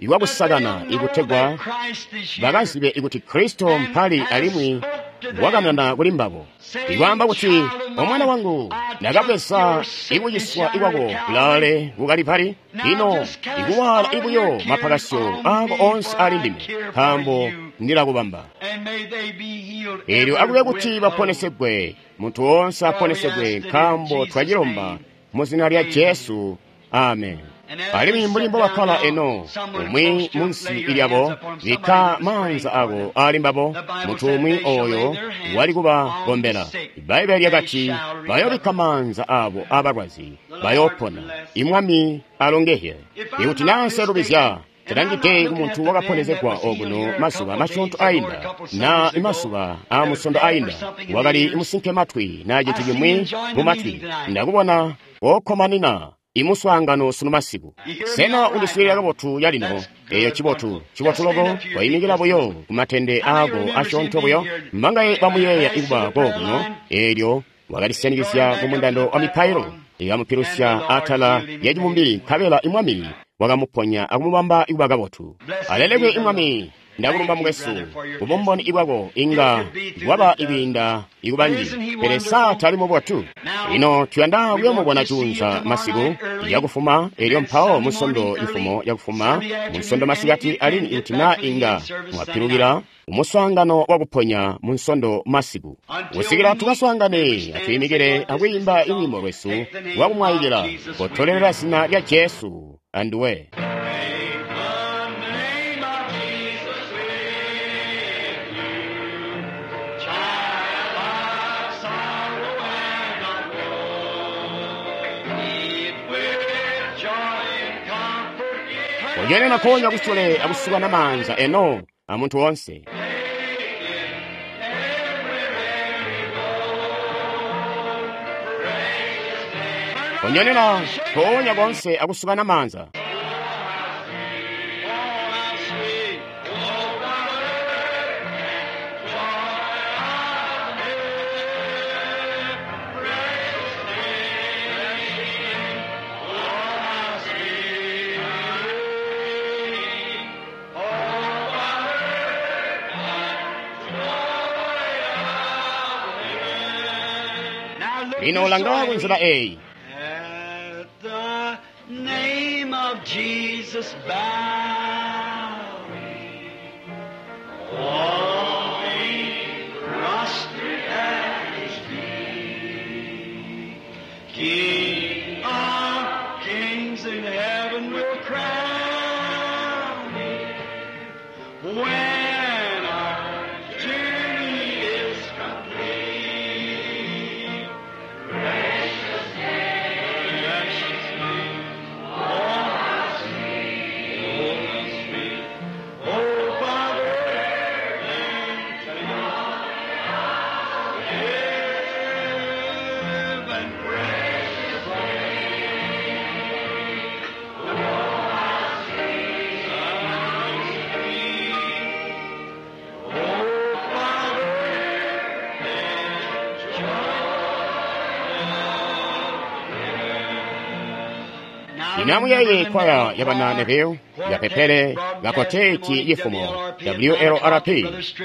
ikwakusakana, they'll know ikutegwa that Christ is here bakazibe ikuti Kristo and mpali has alimwi spoke to them, wakanana kuli mbabo, saying, ikwaamba kuti, Child of omwana mine, wangu, I took ndakapesa your sickness ikuciswa yonder ikwako at Calvary. kulaale kukalipali. Now Lino just cast ikuwaala all your ibuyo cares mapakasyo on ako me, onse for ali I ndime, care for nkaambo you. ndilakubamba. And may they be healed Eelyo every akube kuti whit whole. baponesegwe, munthu wonse For we aponesegwe, ask it in nkaambo Jesus' twachilomba name. mu zina lya Amen. Jesu. Amen. And as they Alimwi mbuli sat mbo down bakkala now, eno, someone umwi close to them, munsi lay your hands ilyabo, upon them, somebody bikka who was praying maanza for ako them. ali mbabo, The Bible munthu said umwi they shall lay oyo their hands wali on the kubagombela. sick, Ibbaibeli they lyakati shall recover. bayobikka maanza abo abalwazi, The Lord bayoopona. bless. Imwami alongehye. If I'm Ikuti not naa nselubizya, mistaken, and I'm not talangide ku looking at muntu the man that wakaponezegwa was healed okuno here a mazuba couple days masyoonto ago or a ainda, couple na Sundays ago, mazuba that aa was musondo deaf or ainda, something in the wakali ears, musinkematwi naa I cintu see cimwi him join mu the matwi, meeting tonight. ndakubona okkomanina imuswaangano sunu masiku. You hear me Sena all right undiswiilila now? kabotu yalino? That's Eyo good, cibotu, wonderful. cibotu Just stand loko, up to your feet wayimikila just a buyo moment. ku matende How many ako remember seeing asyoonto me buyo, here mbangaye bamuyeeya pass ikuba the prayer kokuno, line, eelyo going wakalisyanikizya back ku up to mundando the wa mipailo, platform, and the ikamupilusya Lord atala healed him ya and made chibumbili, him well. nkabela imwami wakamuponya akumubamba kuba kabotu. Alelekwe Mwami. Ndakulumba mukwesu, kubumboni bwako inga bwaba ikwiinda ikubanji, pele sa tali mubotu? Lino tuyanda kuyomubona juunza masiku yakufuma, elyo mpawo munsondo ifumo yakufuma, munsondo masikati alimwi ikuti na inga mwapilukila umuswaangano wakuponya munsondo masiku. Kusikila tukaswaangane, atwiimikile akwiimba ilwiimbo lwesu lwakumwayikila, kotolelela zina lya Jesu anduwe. Kujenena konya kusule akusuka na manza eno amuntu onse. Kunyonena konya konse akusuka na manza. Lino langawa kunzira eyi. At the name of Jesus bow, all be prostrate at his feet. King of kings in heaven will crown him when our journey is complete. Precious name, precious name, oh how sweet, oh how sweet, oh Father, and heaven, precious name, oh how sweet, how sweet, oh Father, and joy. Inamuyeye kwaya yabana Neville, yapepele gakoteti yifumo WLRP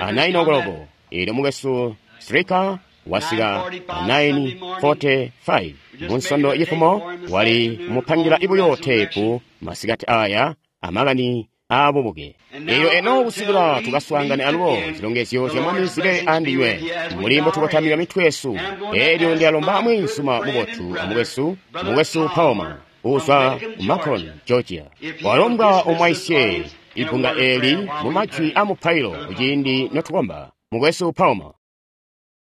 a 9 o'clock ili mukwesu Stricker wasika 9:45 munsondo yifumo wali mupangira ibuyo tepu masikati aya amakani abubuke. Eyo eno kusikila tukaswaangane alubo zilongezyo zya Mwami zibe andinywe mulimbo tukotamika mitwe yesu. Elyo ndiyalomba mwinsuma mubotu amukwesu mukwesu Palmer uzwa Macon, Georgia. Walombwa omwaisye ibunga eli mu majwi a mupailo kuciindi notukomba. Mukwesu Palmer.